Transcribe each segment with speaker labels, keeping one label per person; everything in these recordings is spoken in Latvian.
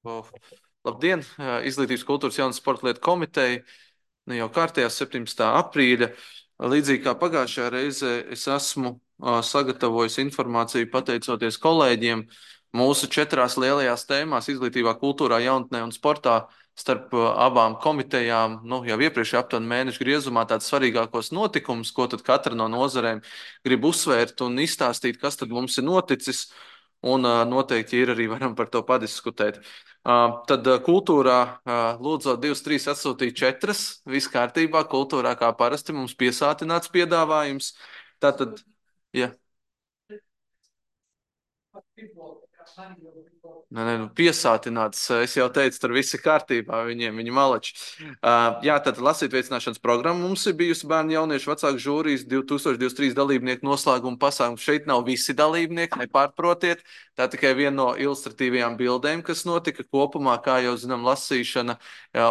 Speaker 1: O, labdien! Izglītības kultūras jaunas sporta lietu komiteja. Nu, jau kārtējā 17. aprīļa. Līdzīgi kā pagājušajā reizē, es esmu sagatavojis informāciju pateicoties kolēģiem mūsu četrās lielajās tēmās - izglītībā, kultūrā, jaunatnē un sportā. Starp abām komitejām, nu, jau iepriekš aptuveni mēnešu griezumā tāds svarīgākos notikumus, ko tad katra no nozarēm grib uzsvērt un izstāstīt, kas tad mums ir noticis. Un noteikti ir arī varam par to padiskutēt. Tad kultūrā lūdzot 2, 3 atsūtīt 4. Viss kārtībā. Kultūrā kā parasti mums piesātināts piedāvājums. Tātad, ja. Nē, nu, piesātināts. Es jau teicu, tur viss ir kārtībā. Viņi malači. Jā, tad lasīt veicināšanas programma mums ir bijusi bērnu jauniešu vecāku žūrijas 2023 dalībnieku noslēguma pasākums. Šeit nav visi dalībnieki, nepārprotiet. Tā tikai viena no ilustratīvajām bildēm, kas notika kopumā, kā jau zinām, lasīšana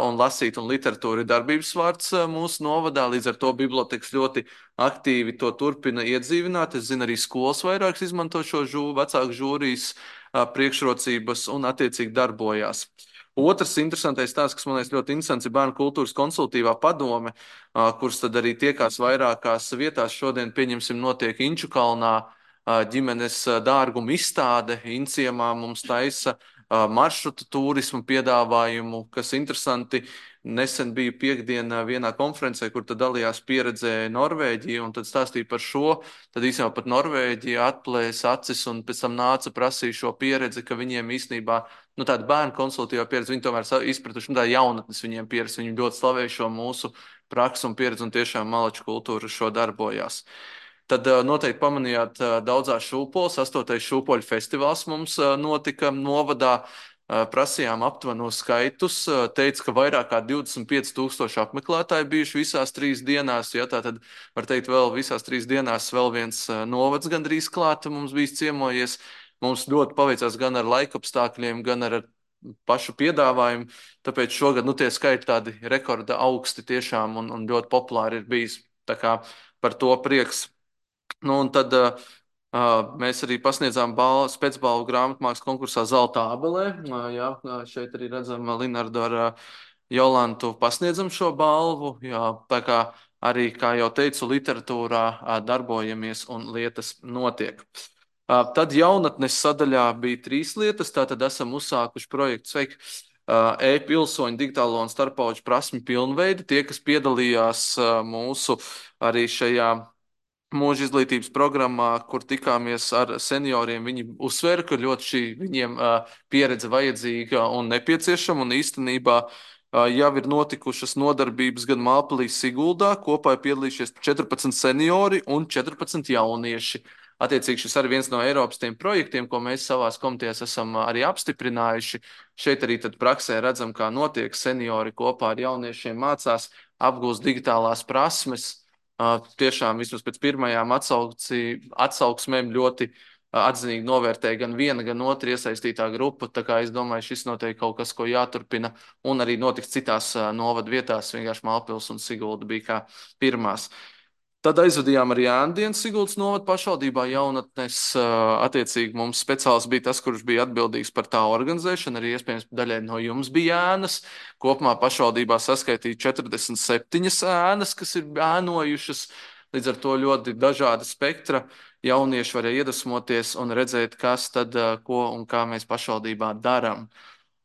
Speaker 1: un lasīt un literatūra ir darbības vārds mūsu novadā. Līdz ar to biblioteks ļoti aktīvi to turpina iedzīvināt. Es zinu, arī skolas vairākas izmanto šo vecāku žūrijas priekšrocības un attiecīgi darbojās. Otrs interesantais stāsts, kas man liekas ļoti interesants, ir Bērnu kultūras konsultīvā padome, kuras tad arī tiekās vairākās vietās. Šodien, pieņemsim, notiek Inču kalnā ģimenes dārguma izstāde. Inciemā mums taisa maršrutu turismu piedāvājumu, kas interesanti. Nesen biju piekdienā vienā konferencē, kur tad dalījās pieredzē Norvēģija, un tad stāstīja par šo. Tad īstenībā pat Norvēģija atplēsa acis un pēc tam nāca prasīja šo pieredzi, ka viņiem īstenībā, nu, tāda bērnu konsultīvā pieredze, viņi tomēr izpratuši, nu, tā jaunatnes viņiem pieredze, viņi ļoti slavē šo mūsu praksu un pieredzi un tiešām malaču kultūra šo darbojās. Tad noteikti pamanījāt daudzās šūpoles. 8. šūpoļu festivāls mums notika novadā. Prasījām aptuvenos skaitus. Teica, ka vairāk kā 25,000 apmeklētāji bijuši visās 3 dienās. Ja, tā tad var teikt, vēl visās 3 dienās vēl viens novads gandrīz klāta mums bijis ciemojies. Mums ļoti paveicās gan ar laikapstākļiem, gan ar pašu piedāvājumu. Tāpēc šogad tie skaiti tādi rekorda augsti tiešām un ļoti populāri ir bijis. Tā kā par to prieks. Nu, un tad mēs arī pasniedzām spēcbalvu grāmatmākslas konkursā Zelta abelē. Jā, šeit arī redzam Linardu ar Jolantu pasniedzam šo balvu. Jā, tā kā arī, kā jau teicu, literatūrā darbojamies un lietas notiek. Tad jaunatnes sadaļā bija 3 lietas. Tātad esam uzsākuši projektu Sveiki! E-pilsoņu digitālo un starppauģu prasmi pilnveidi. Tie, kas piedalījās mūsu arī šajā mūža izglītības programmā, kur tikāmies ar senioriem, viņi uzsvēra, ka ļoti šī viņiem pieredze vajadzīga un nepieciešama, un īstenībā jau ir notikušas nodarbības gan Mālpilī, Siguldā. Kopā ir piedalījušies 14 seniori un 14 jaunieši. Attiecīgi šis arī viens no Eiropas tiem projektiem, ko mēs savās komitejās esam arī apstiprinājuši. Šeit arī tad praksē redzam, kā notiek seniori kopā ar jauniešiem mācās, apgūst digitālās prasmes. Tiešām vismaz pēc pirmajām atsauksmēm ļoti atzinīgi novērtēja gan viena, gan otra iesaistītā grupa. Tā kā es domāju, šis noteikti kaut kas, ko jāturpina, un arī notiks citās novadu vietās. Vienkārši Mālpils un Sigulda bija kā pirmās. Tad aizvadījām arī Ēndienas Siguldas novada pašvaldībā jaunatnes. Attiecīgi mums speciāls bija tas, kurš bija atbildīgs par tā organizēšanu. Arī iespējams daļai no jums bija ēnas. Kopumā pašvaldībā saskaitīja 47 ēnas, kas ir ēnojušas. Līdz ar to ļoti dažāda spektra. Jaunieši varēja iedvesmoties un redzēt, kas tad, ko un kā mēs pašvaldībā darām.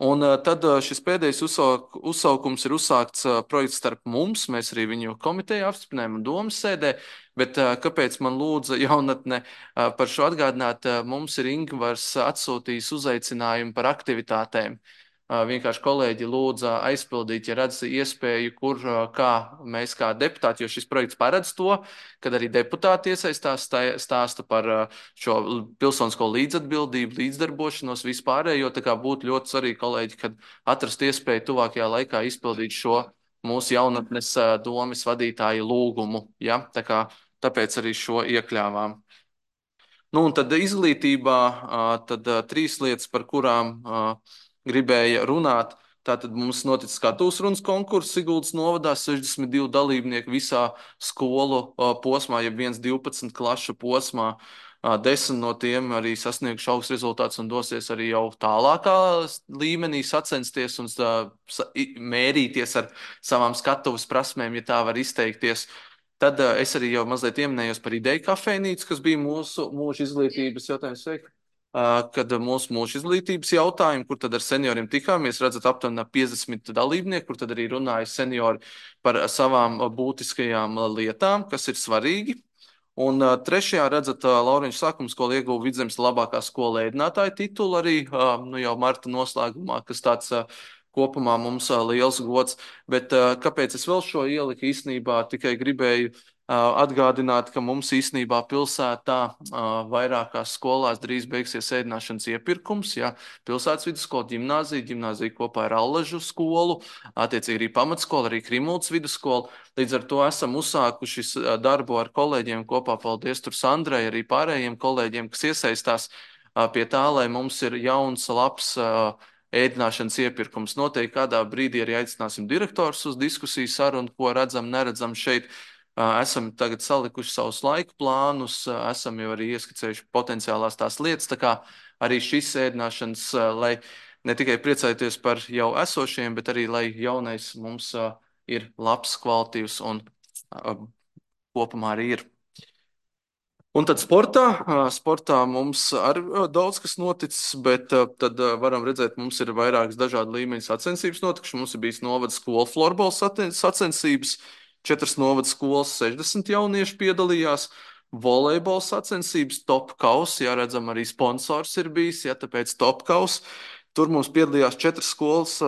Speaker 1: Un tad šis pēdējais uzsaukums ir uzsākts projekts starp mums. Mēs arī viņu komiteju apstiprinājām un domas sēdē. Bet kāpēc man lūdza jaunatne par šo atgādināt? Mums ir Ingvars atsūtījis uzaicinājumu par aktivitātēm. Vienkārši kolēģi lūdza aizpildīt, ja redz iespēju, kur kā mēs kā deputāti, jo šis projekts paredz to, kad arī deputāti iesaistās, stāsta par šo pilsonisko līdzatbildību, līdzdarbošanos vispārējo. Tā kā būtu ļoti svarīgi, kolēģi, kad atrast iespēju tuvākajā laikā izpildīt šo mūsu jaunatnes domes vadītāju lūgumu. Ja? Tāpēc arī šo iekļāvām. Nu, un tad izglītībā tad 3 lietas, par kurām gribēja runāt. Tātad mums noticis skatuves runas konkurss Siguldas novadā, 62 dalībnieki visā skolu posmā, ja 1-12 klašu posmā. 10 no tiem arī sasnieguši augsts rezultāts un dosies arī jau tālākā līmenī sacensties un mērīties ar savām skatuves prasmēm, ja tā var izteikties. Tad es arī jau mazliet ieminējos par ideju kafejnīcu, kas bija mūsu mūža izglītības jautājums. Kad mūsu mūža izglītības jautājumu, kur tad ar senioriem tikāmies, redzat, aptuveni 50 dalībnieku, kur tad arī runāja seniori par savām būtiskajām lietām, kas ir svarīgi. Un trešajā redzat, Lauriņš sākuma skola ieguva Vidzemes labākā skola ēdinātāja titulu arī nu, jau marta noslēgumā, kas tāds kopumā mums liels gods. Bet kāpēc es vēl šo ieliku īstenībā tikai gribēju atgādināt, ka mums īstenībā pilsētā vairākās skolās drīz beigsies ēdināšanas iepirkums. Ja? Pilsētas vidusskola, ģimnāzija kopā ar Allažu skolu, attiecīgi arī pamatskola, arī Krimultas vidusskola. Līdz ar to esam uzsākuši darbu ar kolēģiem kopā, paldies tur Sandrai, arī pārējiem kolēģiem, kas iesaistās pie tā, lai mums ir jauns, labs ēdināšanas iepirkums. Noteikti kādā brīdī arī aicināsim direktors uz diskusiju sarunu, ko redzam, neredzam šeit. Esam tagad salikuši savus laika plānus, esam jau arī ieskicējuši potenciālās tās lietas, tā kā arī šis ēdināšanas, lai ne tikai priecājoties par jau esošiem, bet arī, lai jaunais mums ir labs, kvalitīvs un kopumā arī ir. Un tad sportā mums arī daudz kas noticis, bet tad varam redzēt, mums ir vairākas dažādu līmeņu sacensības notikušas. Mums ir bijis novada skola florbola sacensības, 4 novada skolas, 60 jaunieši piedalījās. Volejbola sacensības, top kaus, jā, redzam, arī sponsors ir bijis, jā, tāpēc top kaus. Tur mums piedalījās 4 skolas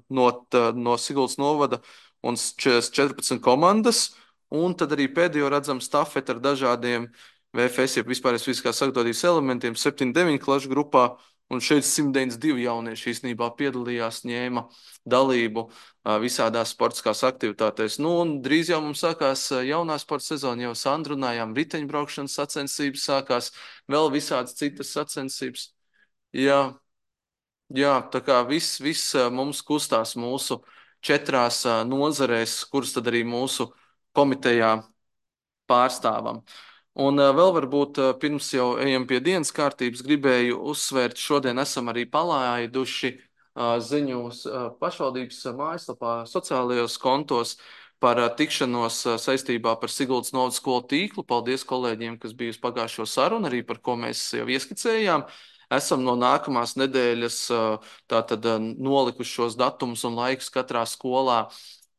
Speaker 1: no Siguldas novada un 14 komandas. Un tad arī pēdējo redzam stafeti ar dažādiem VFS, jeb vispārējais fiziskās sagatavotības elementiem, 7-9 klašu grupā, un šeit 192 jaunieši īstenībā piedalījās, ņēma dalību visādās sportiskās aktivitātēs. Nu, un drīz jau mums sākās jaunā sporta sezona, jau sandrunājām, riteņbraukšanas sacensības sākās, vēl visādas citas sacensības. Jā, jā, tā kā viss mums kustās mūsu 4 nozarēs, kuras tad arī mūsu komitejā pārstāvam. Un vēl varbūt pirms jau ejam pie dienas kārtības, gribēju uzsvērt, šodien esam arī palaiduši ziņos pašvaldības mājaslapā, sociālajos kontos par tikšanos saistībā par Siguldas novadas skolu tīklu. Paldies kolēģiem, kas bija uz pagājušo sarunu, arī par ko mēs jau ieskicējām. Esam no nākamās nedēļas tātad nolikuši šos datumus un laikus katrā skolā,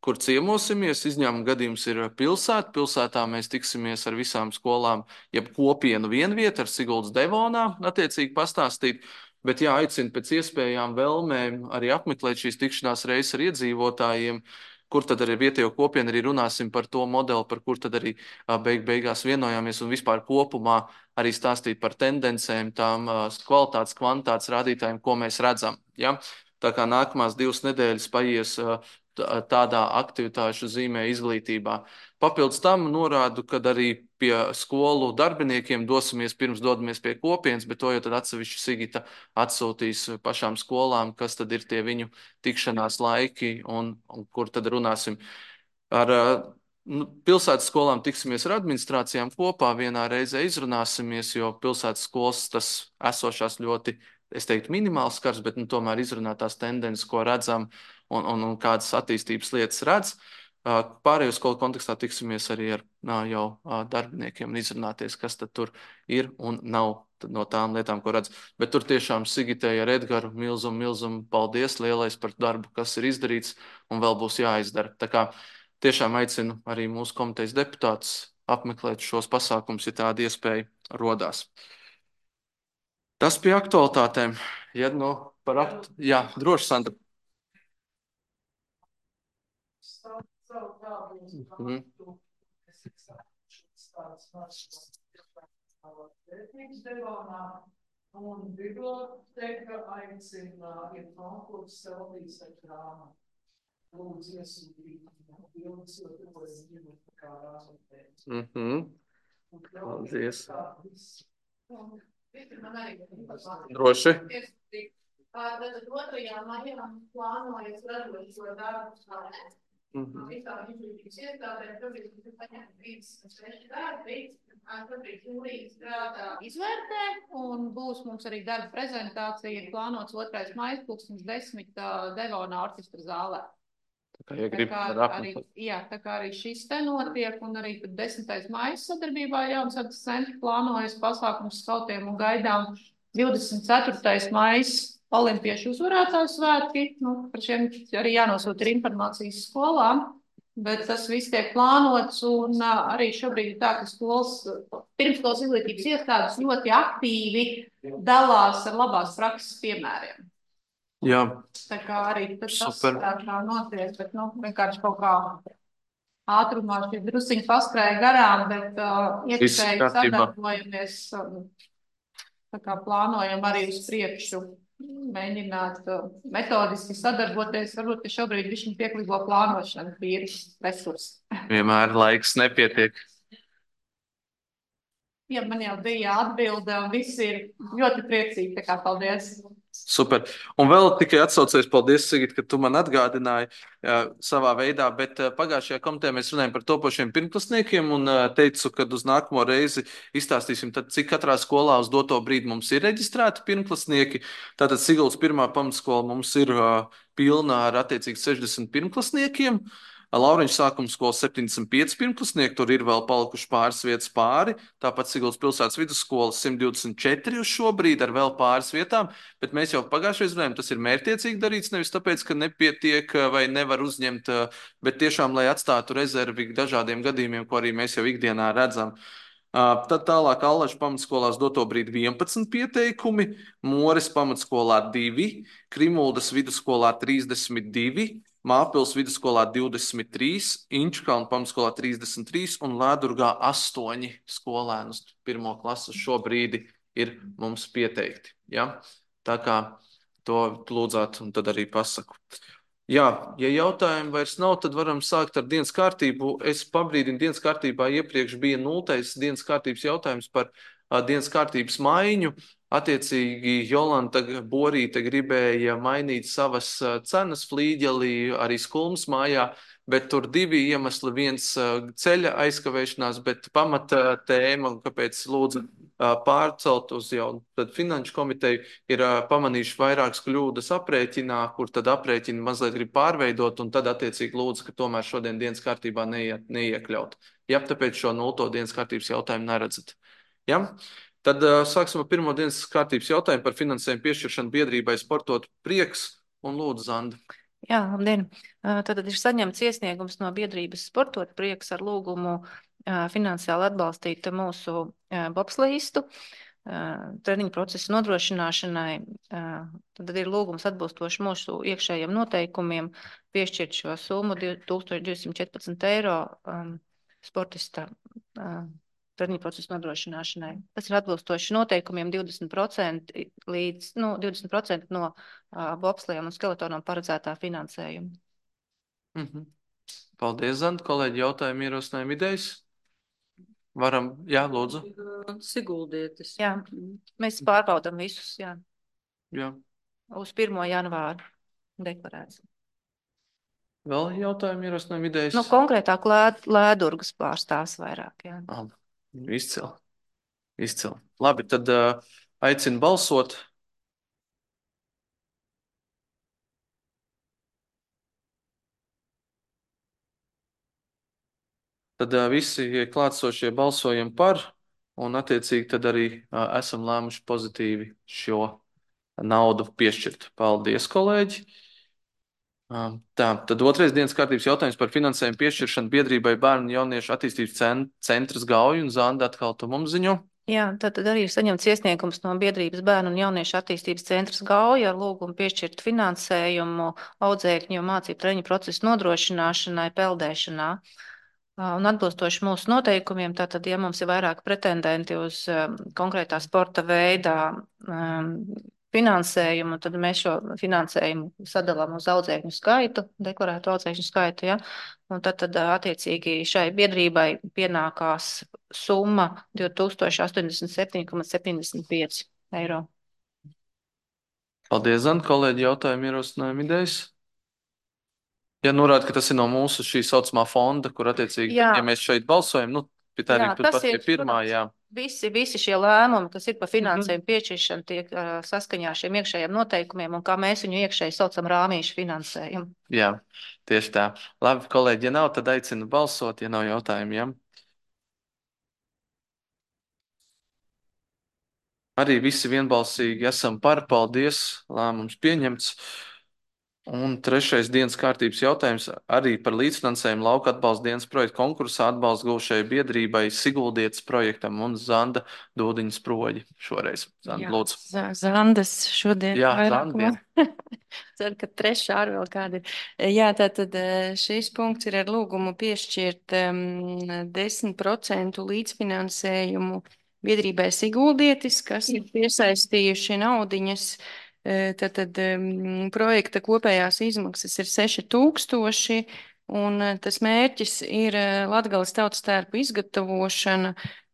Speaker 1: kur ciemosimies. Izņēmuma gadījums ir pilsēta. Pilsētā mēs tiksimies ar visām skolām, jeb kopienu vienvietā ar Siguldas Devonā, attiecīgi pastāstīt. Bet jā, aicinu pēc iespējām vēlmēm arī apmeklēt šīs tikšanās reizes ar iedzīvotājiem, kur tad arī vietējo kopienu arī runāsim par to modeli, par kur tad arī beigās vienojāmies un vispār kopumā arī stāstīt par tendencēm, tām kvalitātes, kvantitātes rādītājiem, ko mēs redzam. Ja? Tā kā nākamās 2 nedēļas paies tādā aktivitāšu zīmē izglītībā. Papildus tam norādu, ka arī pie skolu darbiniekiem dosimies pirms dodamies pie kopienas, bet to jau tad atsevišķi Sigita atsūtīs pašām skolām, kas tad ir tie viņu tikšanās laiki un kur tad runāsim. Ar pilsētas skolām tiksimies ar administrācijām kopā, vienā reizē izrunāsimies, jo pilsētas skolas tas esošās ļoti, es teiktu, minimāls skars, bet tomēr izrunāt tās tendences, ko redzam un kādas attīstības lietas redz. Pārējo skolu kontekstā tiksimies arī ar jau darbiniekiem un izrunāties, kas tad tur ir un nav no tām lietām, ko redz. Bet tur tiešām Sigitei ar Edgaru milzumu paldies lielais par darbu, kas ir izdarīts un vēl būs jāizdara. Tā kā tiešām aicinu arī mūsu komitejas deputātus apmeklēt šos pasākumus, ja tāda iespēja rodās. Tas pie aktualitātēm. Ja, jā, droši, Sandra. Mhm.
Speaker 2: Un biblioteka aicina ir konkurss Selvijas ar grāmatu. Lūdzu iesūtīt bildes, jo to es gribu kā rāzotēt.
Speaker 1: Paldies.
Speaker 2: Man arī
Speaker 1: droši.
Speaker 2: Tad 2. maijā plānojas radošo darbu Visām izglītības iestādēm šobrīd ir paņemti 36 darbi. Šobrīd jūlijas strādā izvērtē, un būs mums arī darba prezentācija, ir plānots 2. maija 2010 Devona orķestra zālē. Tā kā arī šis te notiek, un arī 10. maija sadarbībā Jaunsakas centra plānojas pasākums skautiem un gaidām 24. maija olimpiešu uzvarētāju svētki. Par šiem arī jānosūta informācijas skolām, bet tas viss tiek plānots, un arī šobrīd ir tā, ka pirmskolas izglītības iestādes ļoti aktīvi dalās ar labās prakses piemēriem.
Speaker 1: Jā.
Speaker 2: Tā kā arī tas tā notiek, bet vienkārši kaut kā ātrumā šī drusiņi paskrēja garām, bet iekšēji sadarbojamies, tā kā plānojam arī uz priekšu mēģināt metodiski sadarboties, varbūt, ka šobrīd višķi pieklīgo plānošanu tīri resursi.
Speaker 1: Vienmēr laiks nepietiek.
Speaker 2: Ja man jau bija atbilde, un visi ir ļoti priecīgi, tā kā paldies.
Speaker 1: Super. Un vēl tikai atsaucies, paldies, Sigit, ka tu man atgādināji savā veidā, bet pagājušajā komitejā mēs runājam par topošiem pirmklasniekiem un teicu, ka uz nākamo reizi izstāstīsim, tad, cik katrā skolā uz doto brīdi mums ir reģistrēti pirmklasnieki. Tātad Siguldas pirmā pamatskola mums ir pilna ar attiecīgi 60 pirmklasniekiem. Lauriņš sākuma skola 75 pirmklasnieki, tur ir vēl palikuši pāris vietas pāri. Tāpat Siguldas pilsētas vidusskola 124 uz šo brīdi ar vēl pāris vietām, bet mēs jau pagājušajā reizē runājām, tas ir mērķiecīgi darīts, nevis tāpēc, ka nepietiek vai nevar uzņemt, bet tiešām, lai atstātu rezervi dažādiem gadījumiem, ko arī mēs jau ikdienā redzam. Tad tālāk Allaža pamatskolās doto brīdi 11 pieteikumi, Mores pamatskolā 2, Krimuldas vidusskolā 32, Māpils vidusskolā 23, Inčukalna pamatskolā 33 un Lēdurgā 8 skolēnus 1. klases šobrīd ir mums pieteikti. Ja? Tā kā to lūdzāt un tad arī pasaku. Jā, ja jautājumu vairs nav, tad varam sākt ar dienas kārtību. Es pabrīdinu, dienas kārtībā iepriekš bija 0. dienas kārtības jautājums par dienas kārtības maiņu. Attiecīgi Jolanta Borīte gribēja mainīt savas cenas flīģelī arī Skulmas mājā, bet tur divi iemesli. Viens ceļa aizkavēšanās, bet pamata tēma, kāpēc lūdzu pārcelt uz jau finanšu komiteju, ir pamanījuši vairākas kļūdas aprēķinā, kur tad aprēķini mazliet grib pārveidot, un tad attiecīgi lūdzu, ka tomēr šodien dienas kārtībā neiekļaut. Ja, tāpēc šo 0. dienas kārtības jautājumu neredzat. Ja? Tad sāksim ar pirmo dienas kārtības jautājumu par finansējumu piešķiršanu biedrībai Sportot prieks, un lūdzu, Zanda.
Speaker 3: Jā, labdien. Tad ir saņemts iesniegums no biedrības Sportot prieks ar lūgumu finansiāli atbalstīt mūsu bobslīstu treniņu procesu nodrošināšanai. Tad ir lūgums atbilstoši mūsu iekšējiem noteikumiem piešķirt šo summu 1214 eiro sportista treniņu procesu nodrošināšanai. Tas ir atbilstoši noteikumiem 20% līdz 20% no bobslējiem un skeletonam paredzētā finansējuma.
Speaker 1: Paldies, Zanda. Kolēģi, jautājumi, ierosinājumi, idejas? Varam, jā, lūdzu.
Speaker 2: Siguldietis.
Speaker 3: Jā, mēs pārbaudam visus, jā.
Speaker 1: Jā.
Speaker 3: Uz 1. janvāru deklarēts.
Speaker 1: Vēl jautājumi, ierosinājumi, idejas?
Speaker 3: Konkrētāk Lēdurgas pārstāvs vairāk, jā.
Speaker 1: Izcili. Labi, tad aicinu balsot. Tad visi klātsošie balsojam par, un attiecīgi tad arī esam lēmuši pozitīvi šo naudu piešķirt. Paldies, kolēģi! Tā, tad 2. dienas kārtības jautājums par finansējumu piešķiršanu biedrībai Bērnu un jauniešu attīstības centrs Gauja, un Zanda atkal tu mums ziņo.
Speaker 3: Jā, tad arī ir saņemts iesniegums no biedrības Bērnu un jauniešu attīstības centrs Gauja ar lūgumu piešķirt finansējumu audzēkņu mācību treniņu procesu nodrošināšanai peldēšanā. Un atbilstoši mūsu noteikumiem, tātad, ja mums ir vairāk pretendenti uz konkrētā sporta veidā finansējumu, tad mēs šo finansējumu sadalām uz audzēkņu skaitu, deklarētu audzēkņu skaitu, ja? Un tad attiecīgi šai biedrībai pienākās summa 2087,75 eiro.
Speaker 1: Paldies, Zanda. Kolēģi, jautājumi, ierosinājumi, idejas? Ja norāda, ka tas ir no mūsu šī saucamā fonda, kur attiecīgi,
Speaker 3: Jā.
Speaker 1: ja mēs šeit balsojam, nu, tā arī
Speaker 3: Tas
Speaker 1: pat pie
Speaker 3: ir,
Speaker 1: pirmā,
Speaker 3: protams,
Speaker 1: jā.
Speaker 3: visi šie lēmumi, kas ir par finansējumu piešķiršanu, tiek saskaņā ar šiem iekšējiem noteikumiem, un kā mēs viņu iekšēji saucam rāmīšu finansējumu.
Speaker 1: Jā, tieši tā. Labi, kolēģi, ja nav, tad aicinu balsot, ja nav jautājumu, jā. Arī visi vienbalsīgi esam par, paldies, lēmums pieņemts. Un trešais dienas kārtības jautājums arī par līdzfinansējumu lauka atbalsta dienas projektu konkursā atbalsta gūšajai biedrībai Siguldietas projektam un Zanda Dūdiņas proģi šoreiz. Zanda, lūdzu.
Speaker 4: Zandas šodien
Speaker 1: Jā,
Speaker 4: vairākumā.
Speaker 1: Zanda.
Speaker 4: Ceru, ka trešā ar vēl kāda ir. Jā, tātad šīs punkts ir ar lūgumu piešķirt 10% līdzfinansējumu biedrībai Siguldietis, kas ir piesaistījuši naudiņas. Tātad projekta kopējās izmaksas ir 6,000, un tas mērķis ir Latgales tautas tērpu izgatavošana,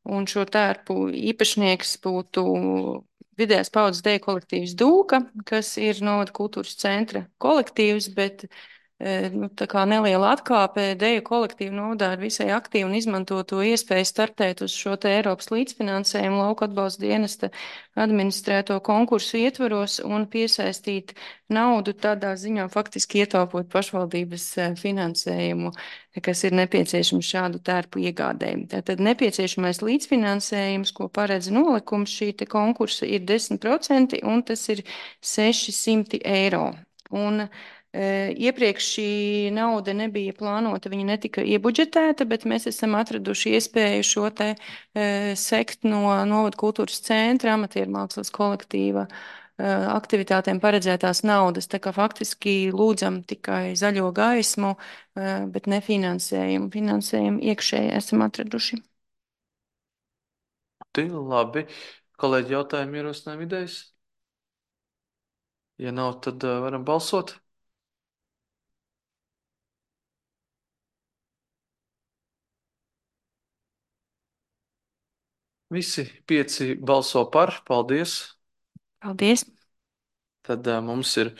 Speaker 4: un šo tērpu īpašnieks būtu Vidējās paudzes deju kolektīvs Dūka, kas ir novada kultūras centra kolektīvs, bet tā kā neliela atkāpe deju kolektīvu novadā ir visai aktīvi un izmanto to iespēju startēt uz šo te Eiropas līdzfinansējumu lauka atbalsta dienesta administrēto konkursu ietvaros un piesaistīt naudu tādā ziņā faktiski ietaupot pašvaldības finansējumu, kas ir nepieciešams šādu tērpu iegādējumu. Tātad nepieciešamais līdzfinansējums, ko paredz nolikums šī te konkursa, ir 10% un tas ir 600 eiro. Un iepriekš šī nauda nebija plānota, viņa netika iebudžetēta, bet mēs esam atraduši iespēju šo te sekt no novada kultūras centra, amatieru mākslas kolektīva aktivitātēm paredzētās naudas. Tā kā faktiski lūdzam tikai zaļo gaismu, bet ne finansējumu. Finansējumu iekšēji esam atraduši.
Speaker 1: Labi. Kolēģi, jautājumi, ierosinājumi, idejas? Ja nav, tad varam balsot. Visi 5 balso par. Paldies.
Speaker 4: Paldies.
Speaker 1: Tad mums ir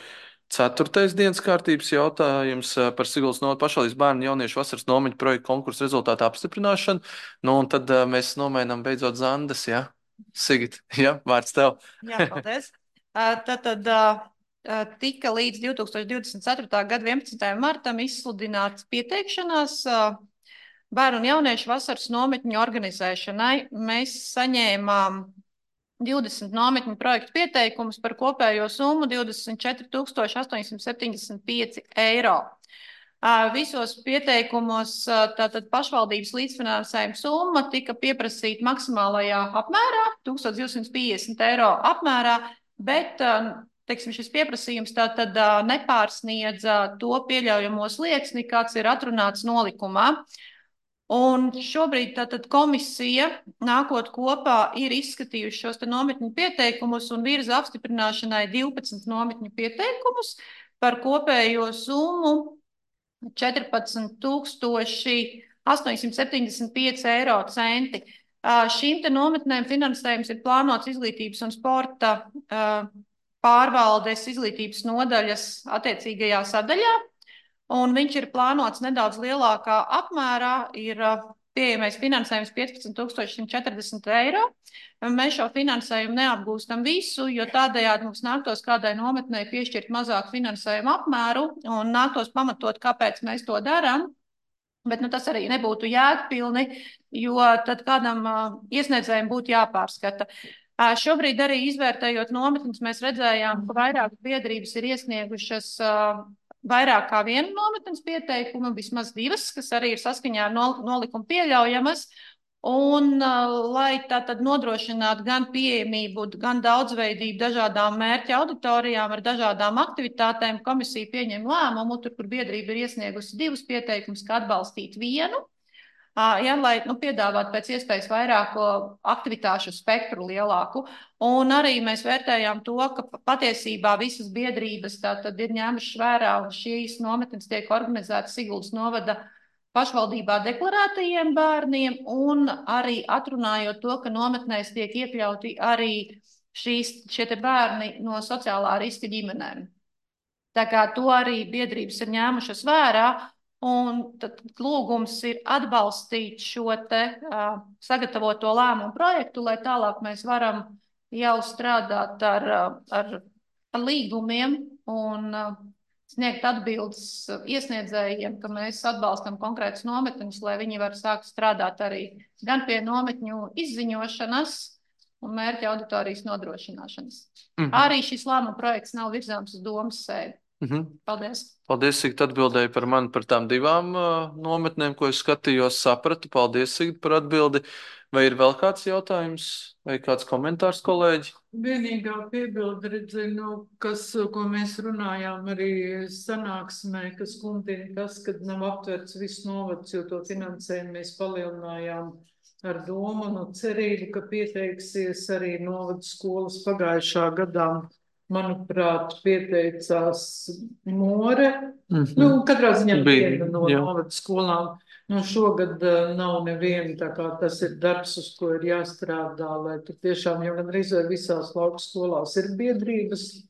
Speaker 1: 4. dienas kārtības jautājums par Siguldas novada pašvaldības bērnu jauniešu vasaras nometņu projektu konkursu rezultātu apstiprināšanu. Nu, un tad mēs nomainām beidzot Zandas, jā? Sigit, jā, vārds tev.
Speaker 3: Jā, paldies. Tad tika līdz 2024. gada 11. martam izsludināts pieteikšanās bērnu un jauniešu vasaras nometņu organizēšanai. Mēs saņēmām 20 nometņu projektu pieteikumus par kopējo summu 24 875 eiro. Visos pieteikumos tātad pašvaldības līdzfinansējuma summa tika pieprasīta maksimālajā apmērā, 1250 eiro apmērā, bet teiksim, šis pieprasījums tātad nepārsniedza to pieļaujamo slieksni, kāds ir atrunāts nolikumā. Un šobrīd tātad komisija, nākot kopā, ir izskatījuši šos te nometņu pieteikumus un virza apstiprināšanai 12 nometņu pieteikumus par kopējo summu 14 875 eiro centi. Šīm te nometnēm finansējums ir plānots izglītības un sporta pārvaldes izglītības nodaļas attiecīgajā sadaļā. Un viņš ir plānots nedaudz lielākā apmērā, ir pieejamais finansējums 15 140 eiro. Mēs šo finansējumu neapgūstam visu, jo tādējādi mums nāktos kādai nometnei piešķirt mazāku finansējumu apmēru un nāktos pamatot, kāpēc mēs to darām. Bet tas arī nebūtu jēgpilni, jo tad kādam iesniedzējiem būtu jāpārskata. Šobrīd arī izvērtējot nometnes, mēs redzējām, ka vairāk biedrības ir iesniegušas vairāk kā vienu nometnes pieteikumu, vismaz 2, kas arī ir saskaņā ar nolikumu pieļaujamas. Un, lai tātad nodrošinātu gan pieejamību, gan daudzveidību dažādām mērķa auditorijām ar dažādām aktivitātēm, komisija pieņem lēmumu, tur, kur biedrība ir iesniegusi 2 pieteikumus, kā atbalstīt vienu. Lai piedāvātu pēc iespējas vairāku aktivitāšu spektru lielāku. Un arī mēs vērtējām to, ka patiesībā visas biedrības tātad ir ņēmušas vērā, un šīs nometnes tiek organizētas Siguldas novada pašvaldībā deklarētajiem bērniem, un arī atrunājot to, ka nometnēs tiek iekļauti arī šie te bērni no sociālā riska ģimenēm.
Speaker 2: Tā kā to arī biedrības ir ņēmušas vērā, un tad lūgums ir atbalstīt šo te sagatavoto lēmumu projektu, lai tālāk mēs varam jau strādāt ar līgumiem un sniegt atbildes iesniedzējiem, ka mēs atbalstam konkrētus nometņus, lai viņi var sākt strādāt arī gan pie nometņu izziņošanas un mērķa auditorijas nodrošināšanas. Arī šis lēmuma projekts nav virzāms uz domas sēdi. Paldies.
Speaker 1: Paldies, Sigit, atbildēji par mani par tām divām nometnēm, ko es skatījos, sapratu. Paldies, Sigit, par atbildi. Vai ir vēl kāds jautājums vai kāds komentārs, kolēģi?
Speaker 2: Vienīgā piebilde, ko mēs runājām arī sanāksmē, kas kundina tas, kad nav aptverts viss novads, jo to finansējumu mēs palielinājām ar domu un cerību, ka pieteiksies arī novads skolas pagājušā gadā. Manuprāt, pieteicās More. Katrā ziņā viena no novads skolām. Šogad nav neviena, tā kā tas ir darbs, uz ko ir jāstrādā, lai tur tiešām jau gandrīz vai visās lauku skolās ir biedrības,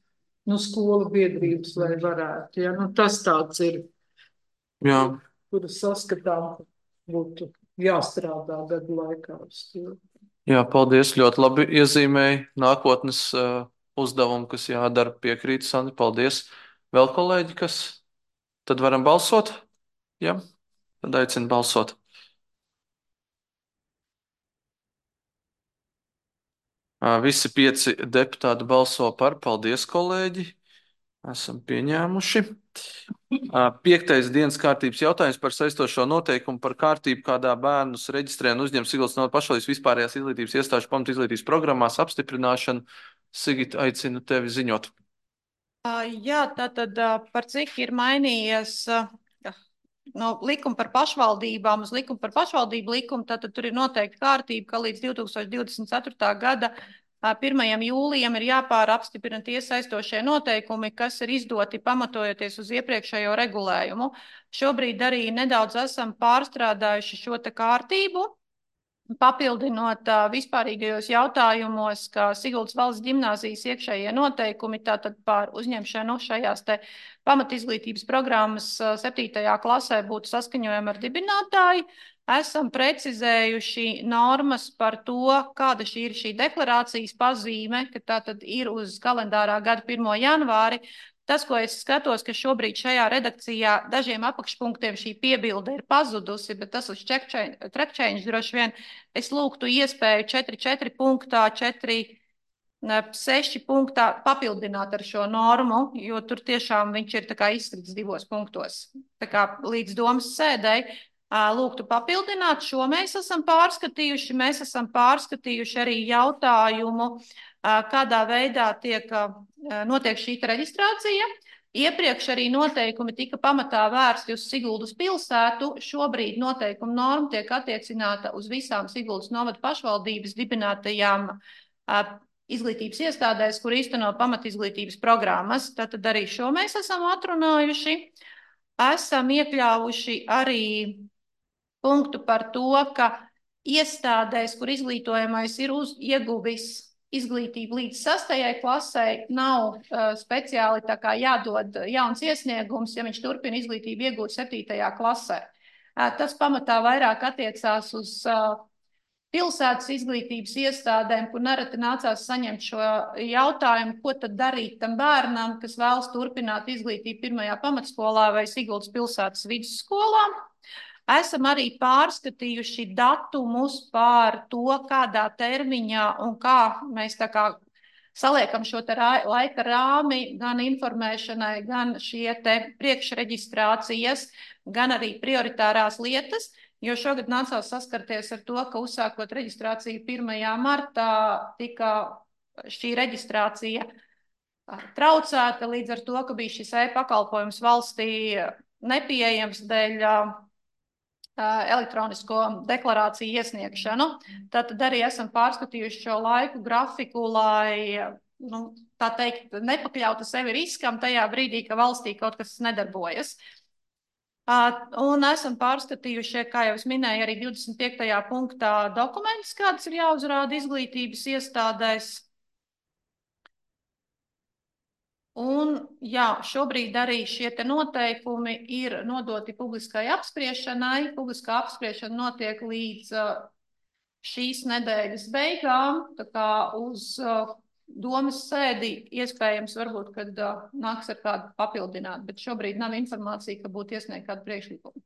Speaker 2: skolu biedrības, lai varētu. Ja? Tas tāds ir, kuru saskatām būtu jāstrādā gadu laikā uz to.
Speaker 1: Jā, paldies, ļoti labi iezīmēji nākotnes uzdevumu, kas jādara, piekrīt, Sandra, paldies. Vēl kolēģi, kas? Tad varam balsot? Jā, tad aicinu balsot. Visi 5 deputāti balso par. Paldies, kolēģi. Esam pieņēmuši. 5. dienas kārtības jautājums par saistošo noteikumu par kārtību, kādā bērnus reģistrē un uzņem Siguldas novads pašvaldības vispārējās izglītības iestāžu pamatizglītības programmās apstiprināšanu. Sigit, aicinu tevi ziņot.
Speaker 2: Jā, tātad par cik ir mainījies no likuma par pašvaldībām uz likumu par pašvaldību likumu, tātad tur ir noteikti kārtība, ka līdz 2024. gada 1. jūlijam ir jāpārapstiprina tie saistošie noteikumi, kas ir izdoti pamatojoties uz iepriekšējo regulējumu. Šobrīd arī nedaudz esam pārstrādājuši šo te kārtību, papildinot vispārīgajos jautājumos, ka Siguldas valsts ģimnāzijas iekšējie noteikumi tātad par uzņemšanu šajās te pamatizglītības programmas 7. klasē būtu saskaņojami ar dibinātāju. Esam precizējuši normas par to, kāda ir šī deklarācijas pazīme, ka tātad ir uz kalendārā gada 1. janvāri. Tas, ko es skatos, ka šobrīd šajā redakcijā dažiem apakšpunktiem šī piebilde ir pazudusi, bet tas uz track change droši vien es lūgtu iespēju 4.4 punktā, 4.6 punktā papildināt ar šo normu, jo tur tiešām viņš ir tā kā izstrits 2 punktos. Tā kā līdz domas sēdēji lūgtu papildināt, šo mēs esam pārskatījuši. Mēs esam pārskatījuši arī jautājumu, kādā veidā notiek šī reģistrācija. Iepriekš arī noteikumi tika pamatā vērsti uz Siguldas pilsētu. Šobrīd noteikuma norma tiek attiecināta uz visām Siguldas novada pašvaldības dibinātajām izglītības iestādēs, kur īsteno pamatizglītības programmas. Tātad arī šo mēs esam atrunājuši. Esam iekļāvuši arī punktu par to, ka iestādēs, kur izglītojamais ir ieguvis izglītību līdz 6. klasē, nav speciāli tā kā jādod jauns iesniegums, ja viņš turpina izglītību iegūt 7. klasē. Tas pamatā vairāk attiecās uz pilsētas izglītības iestādēm, kur nereti nācās saņemt šo jautājumu, ko tad darīt tam bērnam, kas vēlas turpināt izglītību 1. pamatskolā vai Siguldas pilsētas vidusskolā. Esam arī pārskatījuši datumus par to, kādā termiņā un kā mēs tā kā saliekam šo te laika rāmi gan informēšanai, gan šie te priekšreģistrācijas, gan arī prioritārās lietas, jo šogad nācās saskarties ar to, ka uzsākot reģistrāciju 1. martā tika šī reģistrācija traucēta līdz ar to, ka bija šis e-pakalpojums valstī nepieejams dēļ elektronisko deklarāciju iesniegšanu. Tātad arī esam pārskatījuši šo laiku grafiku, lai, tā teikt, nepakļautu sevi riskam tajā brīdī, ka valstī kaut kas nedarbojas. Un esam pārskatījuši, kā jau es minēju, arī 25. punktā dokumentus, kādas ir jāuzrāda izglītības iestādēs. Un, jā, šobrīd arī šie te noteikumi ir nodoti publiskai apspriešanai. Publiskā apspriešana notiek līdz šīs nedēļas beigām, tā kā uz domas sēdi iespējams varbūt, kad nāks ar kādu papildināt, bet šobrīd nav informācija, ka būtu iesniegt kādu priekšlikumu.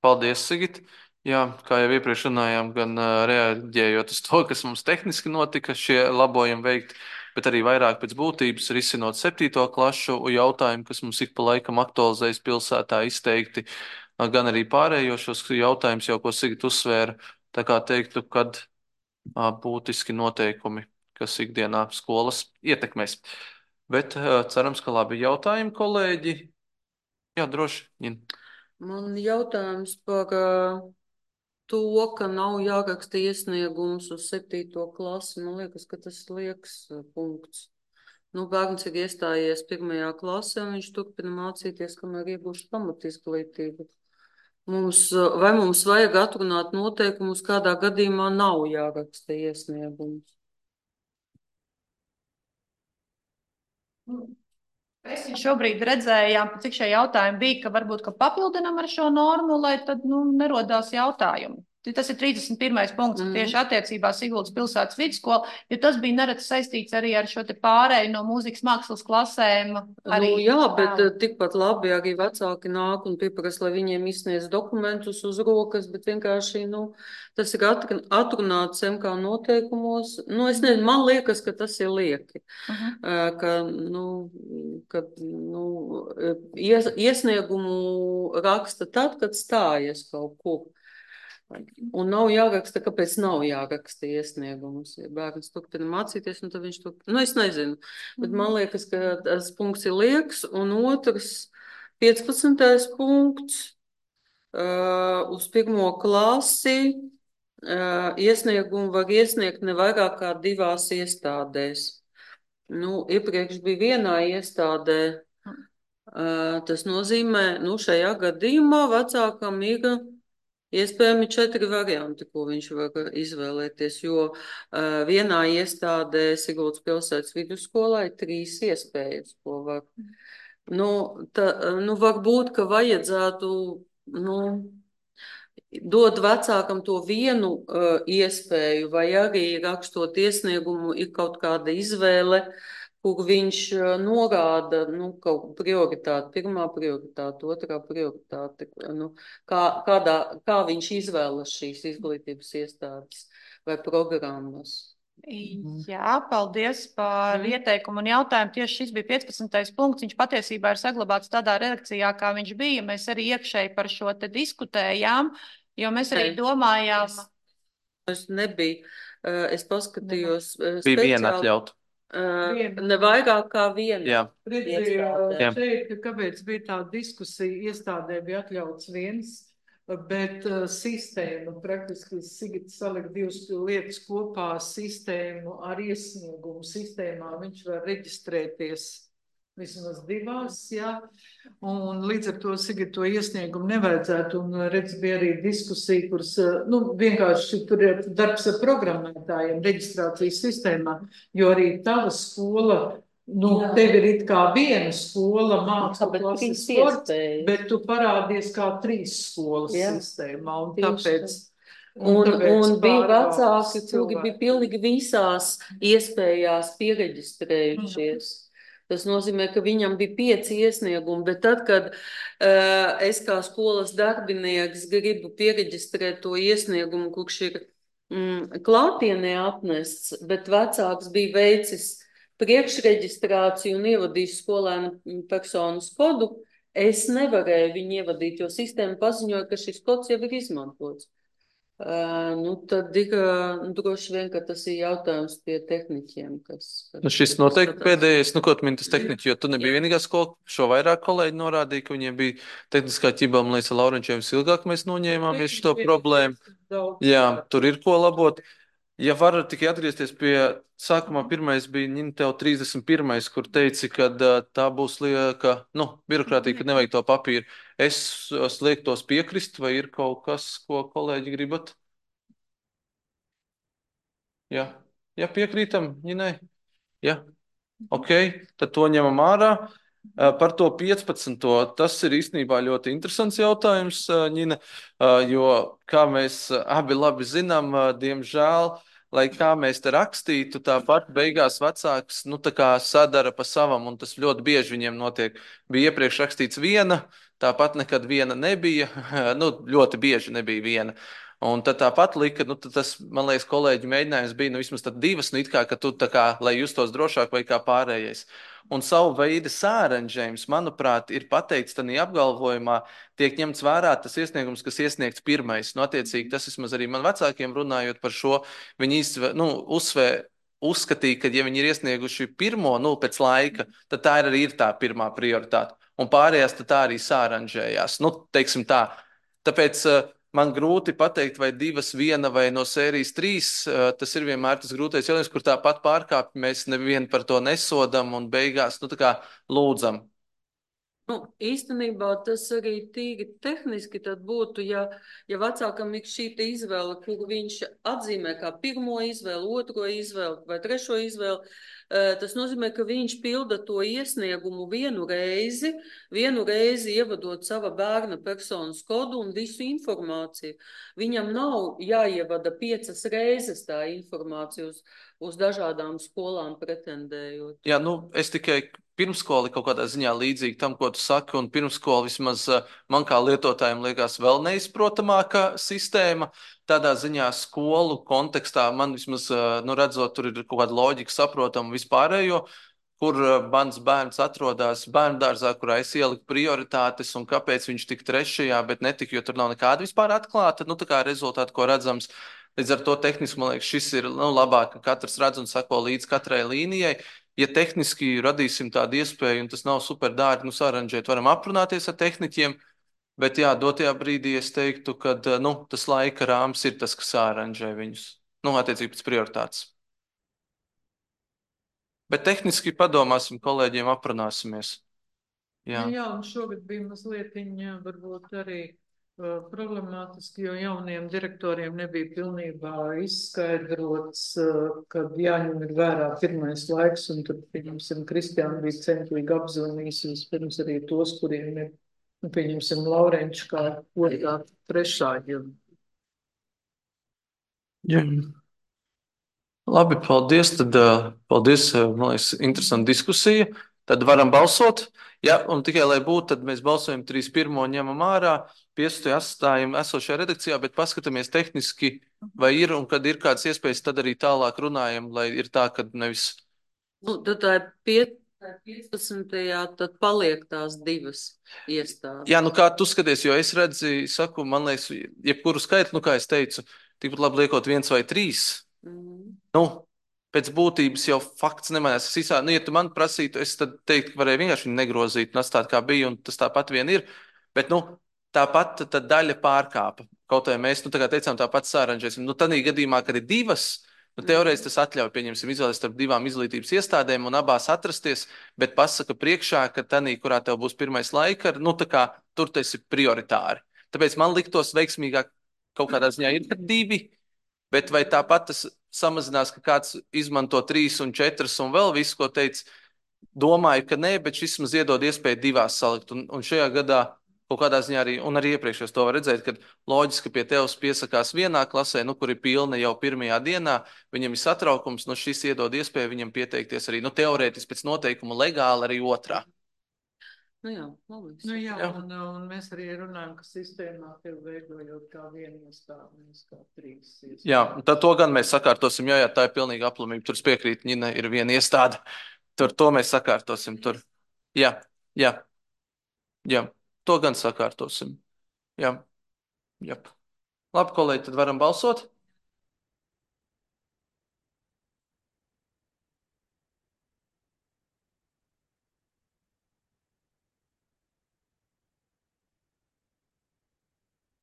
Speaker 1: Paldies, Sigit. Jā, kā jau iepriekš runājām, gan reaģējot uz to, kas mums tehniski notika, šie labojumi veikti, bet arī vairāk pēc būtības risinot 7. klašu jautājumu, kas mums ik pa laikam aktualizējas pilsētā izteikti, gan arī pārējos šos jautājumus, jau ko Sigit uzsvēra, tā kā teiktu, kad būtiski noteikumi, kas ikdienā skolas ietekmēs. Bet cerams, ka labi jautājumi, kolēģi. Jā, droši.
Speaker 5: Man jautājums par to, ka nav jāraksta iesniegums uz 7. klasi. Man liekas, ka tas liekas punkts. Nu, bērns ir iestājies 1. klasē, un viņš turpina mācīties, kamēr iegūst pamatizglītību. Vai mums vajag atrunāt noteikumus, kādā gadījumā nav jāraksta iesniegums?
Speaker 2: Mēs šobrīd redzējām, cik šie jautājumi bija, ka varbūt ka papildinam ar šo normu, lai tad nerodās jautājumi. Tas ir 31. punkts tieši attiecībā Siguldas pilsētas vidusskola, jo tas bija neredz saistīts arī ar šo te pārēju no mūzikas mākslas klasēm. Arī,
Speaker 5: jā, bet tikpat labi arī vecāki nāk un pieprasa, lai viņiem izsniedz dokumentus uz rokas, bet vienkārši, tas ir atrunāts MK noteikumos. Es nezinu, man liekas, ka tas ir lieki. Iesniegumu raksta tad, kad stājas kaut kur. Un nav jāraksta, kāpēc nav jāraksta iesniegumus. Ja bērns turpina mācīties, un tad viņš turpina. Es nezinu, bet man liekas, ka tas punkts ir lieks. Un otrs, 15. punkts, uz 1. klasi iesniegumu var iesniegt ne vairāk kā 2 iestādēs. Iepriekš bija vienā iestādē. Tas nozīmē, šajā gadījumā vecākam ir iespējami 4 varianti, ko viņš var izvēlēties, jo vienā iestādē Siguldas pilsētas vidusskolā ir 3 iespējas, ko var. Varbūt, ka vajadzētu, dot vecākam to vienu iespēju, vai arī rakstot iesniegumu ir kaut kāda izvēle, kur viņš norāda, kaut prioritāti, 1. prioritāte, 2. prioritāte, kā viņš izvēlas šīs izglītības iestādes vai programmas.
Speaker 2: Jā, paldies par ieteikumu un jautājumu. Tieši šis bija 15. punkts. Viņš patiesībā ir saglabāts tādā redakcijā, kā viņš bija. Mēs arī iekšēji par šo te diskutējām, jo mēs arī domājām.
Speaker 5: Es nebiju, es paskatījos.
Speaker 1: Bija viena atļauta.
Speaker 5: Ne vairāk kā viena.
Speaker 1: Jā.
Speaker 2: Šeit, kāpēc bija tā diskusija, iestādē bija atļauts viens, bet sistēma praktiski Sigits salika 2 lietas kopā, sistēmu ar iesniegumu sistēmā. Viņš var reģistrēties vismaz 2, jā. Un līdz ar to Sigit to iesniegumu nevajadzētu. Un redz, bija arī diskusija, kuras, vienkārši tur ir darbs ar programmētājiem reģistrācijas sistēmā, jo arī tava skola, tev ir it kā viena skola, mākslu klases sports, bet tu parādies kā 3 skolas sistēmā. Un tāpēc.
Speaker 5: Un bija vecāki, kuri bija pilnīgi visās iespējās piereģistrējušies. Tas nozīmē, ka viņam bija 5 iesniegumi, bet tad, kad es kā skolas darbinieks gribu piereģistrēt to iesniegumu, kurš ir klātienē atnests, bet vecāks bija veicis priekšreģistrāciju un ievadījis skolēnu personas kodu, es nevarēju viņu ievadīt, jo sistēma paziņoja, ka šis kods jau ir izmantots. Tad ir droši vien, ka tas ir jautājums pie tehniķiem.
Speaker 1: Šis noteikti pēdējais, ko tu mini tas tehniķi, jo tu nebija vienīgā skola, šo vairāk kolēģi norādīja, ka viņiem bija tehniskā ķibā, man liekas, Laurenčiem ilgāk mēs noņēmāmies šo problēmu. Jā, tur ir ko labot. Ja varu tikai atgriezties pie sākumā, pirmais bija tev 31, kur teici, ka tā būs lieka, birokrātija, ka nevajag to papīru. Es liektos piekrist, vai ir kaut kas, ko kolēģi gribat? Jā, piekrītam, Ņinai? Jā. Ok, tad to ņemam ārā. Par to 15. Tas ir īstenībā ļoti interesants jautājums, Ņina, jo, kā mēs abi labi zinām, diemžēl, lai kā mēs te rakstītu, tāpat beigās vecāks, nu, tā kā sadara pa savam, un tas ļoti bieži viņiem notiek. Bija iepriekš rakstīts viena, tāpat nekad viena nebija, nu, ļoti bieži nebija viena. Un tad tāpat lika, nu, tad tas, man liekas, kolēģi mēģinājums bija, nu, vismaz tad divas, nu, it kā, ka tu tā kā, lai justos drošāk vai kā pārējais. Un savu veidu sāranžējums, manuprāt, ir pateikts tādā apgalvojumā, tiek ņemts vērā tas iesniegums, kas iesniegts pirmais. Nu, attiecīgi, tas vismaz arī man vecākiem runājot par šo, viņi uzskatīja, ka, ja viņi ir iesnieguši pirmo, nu, pēc laika, tad tā ir arī tā pirmā prioritāte. Un pārējās tad tā arī sāranžējās. Nu, teiksim tā. Tāpēc man grūti pateikt, vai divas, viena vai no sērijas trīs. Tas ir vienmēr tas grūtais jautājums, kur tāpat pārkāpj, mēs nevienu par to nesodam un beigās, nu, tā kā lūdzam.
Speaker 5: Nu, īstenībā tas arī tīri tehniski tad būtu, ja vecākam ir šī izvēle, kuru viņš atzīmē kā pirmo izvēli, otro izvēli vai trešo izvēli, tas nozīmē, ka viņš pilda to iesniegumu vienu reizi ievadot sava bērna personas kodu un visu informāciju. Viņam nav jāievada 5 reizes tā informācija uz dažādām skolām pretendējot.
Speaker 1: Jā, nu, es tikai pirmskoli kaut kādā ziņā līdzīgi tam, ko tu saki, un pirmskola vismaz man kā lietotājiem liekas vēl neizprotamāka sistēma. Tādā ziņā skolu kontekstā man vismaz, nu, redzot, tur ir kaut kāda loģika saprotama vispārējo, kur mans bērns atrodas bērndārzā, kurā es ieliku prioritātes un kāpēc viņš tik trešajā, bet netika, jo tur nav nekāda vispār atklāta, nu, tā kā rezultāti, ko redzams. Līdz ar to tehniski, man liekas, šis ir, nu, labāk, ka katrs redz un sako līdz katrai līnijai. Ja tehniski radīsim tādu iespēju, un tas nav super dārgi, nu, saranžēt, varam aprunāties ar tehniķiem, bet, jā, dotajā brīdī es teiktu, ka, nu, tas laika rāms ir tas, kas saranžē viņus, nu, attiecīgi pēc prioritātes. Bet tehniski padomāsim, kolēģiem aprunāsimies. Jā,
Speaker 2: jā, un šogad bija mazliet varbūt arī problemātiski, jo jauniem direktoriem nebija pilnībā izskaidrots, ka jāņem vērā pirmais laiks, un tad, pieņemsim, Kristiāna bija centīgi apzvanījis vispirms arī tos, kuriem ir, nu, pieņemsim, Laurenču kā otrā, trešā.
Speaker 1: jā. Labi, paldies. Tad, paldies, man liekas, interesanta diskusija. Tad varam balsot. Jā, un tikai lai būtu, tad mēs balsojam 3.1. ņemam ārā, 5. atstājam esošajā redakcijā, bet paskatāmies tehniski, vai ir, un kad ir kādas iespējas, tad arī tālāk runājam, lai ir tā, ka nevis.
Speaker 5: Nu, tad tā ir 15. tad paliek tās divas iestādes.
Speaker 1: Jā, nu kā tu skaties, jo es redzu, saku, man liekas, jebkuru skaitli, nu kā es teicu, tikpat labi liekot 1 vai 3. Nu, pēc būtības jau fakts nemainās. Nu, ja tu man prasītu, es tad teiktu, ka varēja vienkārši viņu negrozīt un atstāt kā bija, un tas tāpat vien ir. Bet, nu, tāpat tad daļa pārkāpa. Kaut arī mēs, nu, tā kā teicām, tāpat sāranžēsim. Nu, tādā gadījumā, kad ir divas, nu, teorētiski tas atļauj, pieņemsim, izvēlēties starp divām izglītības iestādēm un abās atrasties, bet pasaka priekšā, ka tanī, kurā tev būs pirmais laika, nu, tā kā tur tas ir prioritāri. Tāpēc man liktos veiksmīgāk kaut kādā ziņā ir, kad divi. Bet vai tāpat tas samazinās, ka kāds izmanto 3 un 4 un vēl visu, ko teica? Domāju, ka nē, bet šis mums iedod iespēju divās salikt. Un šajā gadā kaut kādā ziņā arī, un arī iepriekšējos to var redzēt, ka loģiski pie tevis piesakās vienā klasē, nu, kur ir pilna jau pirmajā dienā, viņam ir satraukums, nu, šis iedod iespēju viņam pieteikties arī, nu, teorētiski pēc noteikuma legāli arī otrā.
Speaker 5: Nu jā, labi.
Speaker 2: Nu jā, jā. Un mēs arī runājam, ka sistēmā tev veidojot kā vienu iestādi, nevis kā 3 iestādi.
Speaker 1: Jā, tad to gan mēs sakārtosim, jā, tā ir pilnīga aplamība. Tur piekrīt, Ņina ir viena iestāde. Tur to mēs sakārtosim. Tur. Jā, jā, jā, to gan sakārtosim. Jā, jā. Labi, kolēģi, tad varam balsot.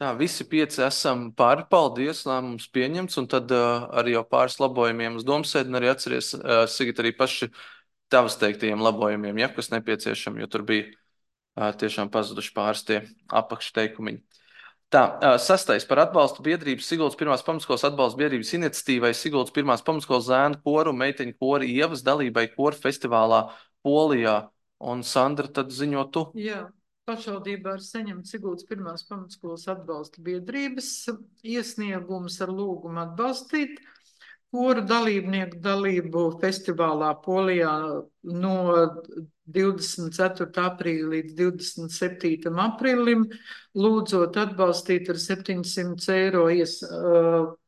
Speaker 1: Tā, visi 5 esam pāri, paldies, lēmums pieņemts, un tad arī jau pāris labojumiem uz domsēdi, un arī atceries, Sigita, arī paši tavas teiktajiem labojumiem, ja, kas nepieciešami, jo tur bija tiešām pazuduši pāris tie apakšteikumviņi. Tā, sastais par atbalstu biedrības Siguldas pirmās pamatskolas atbalsta biedrības iniciatīvai Siguldas pirmās pamatskolas zēnu koru un meiteņu koru ievas dalībai koru festivālā Polijā. Un Sandra, tad ziņo tu.
Speaker 2: Jā, pašvaldībā ir saņemts Siguldas pirmās pamatskolas atbalsta biedrības iesniegums ar lūgumu atbalstīt koru dalībnieku dalību festivālā Polijā no 24. aprīļa līdz 27. aprīlim, lūdzot atbalstīt ar 700 eiro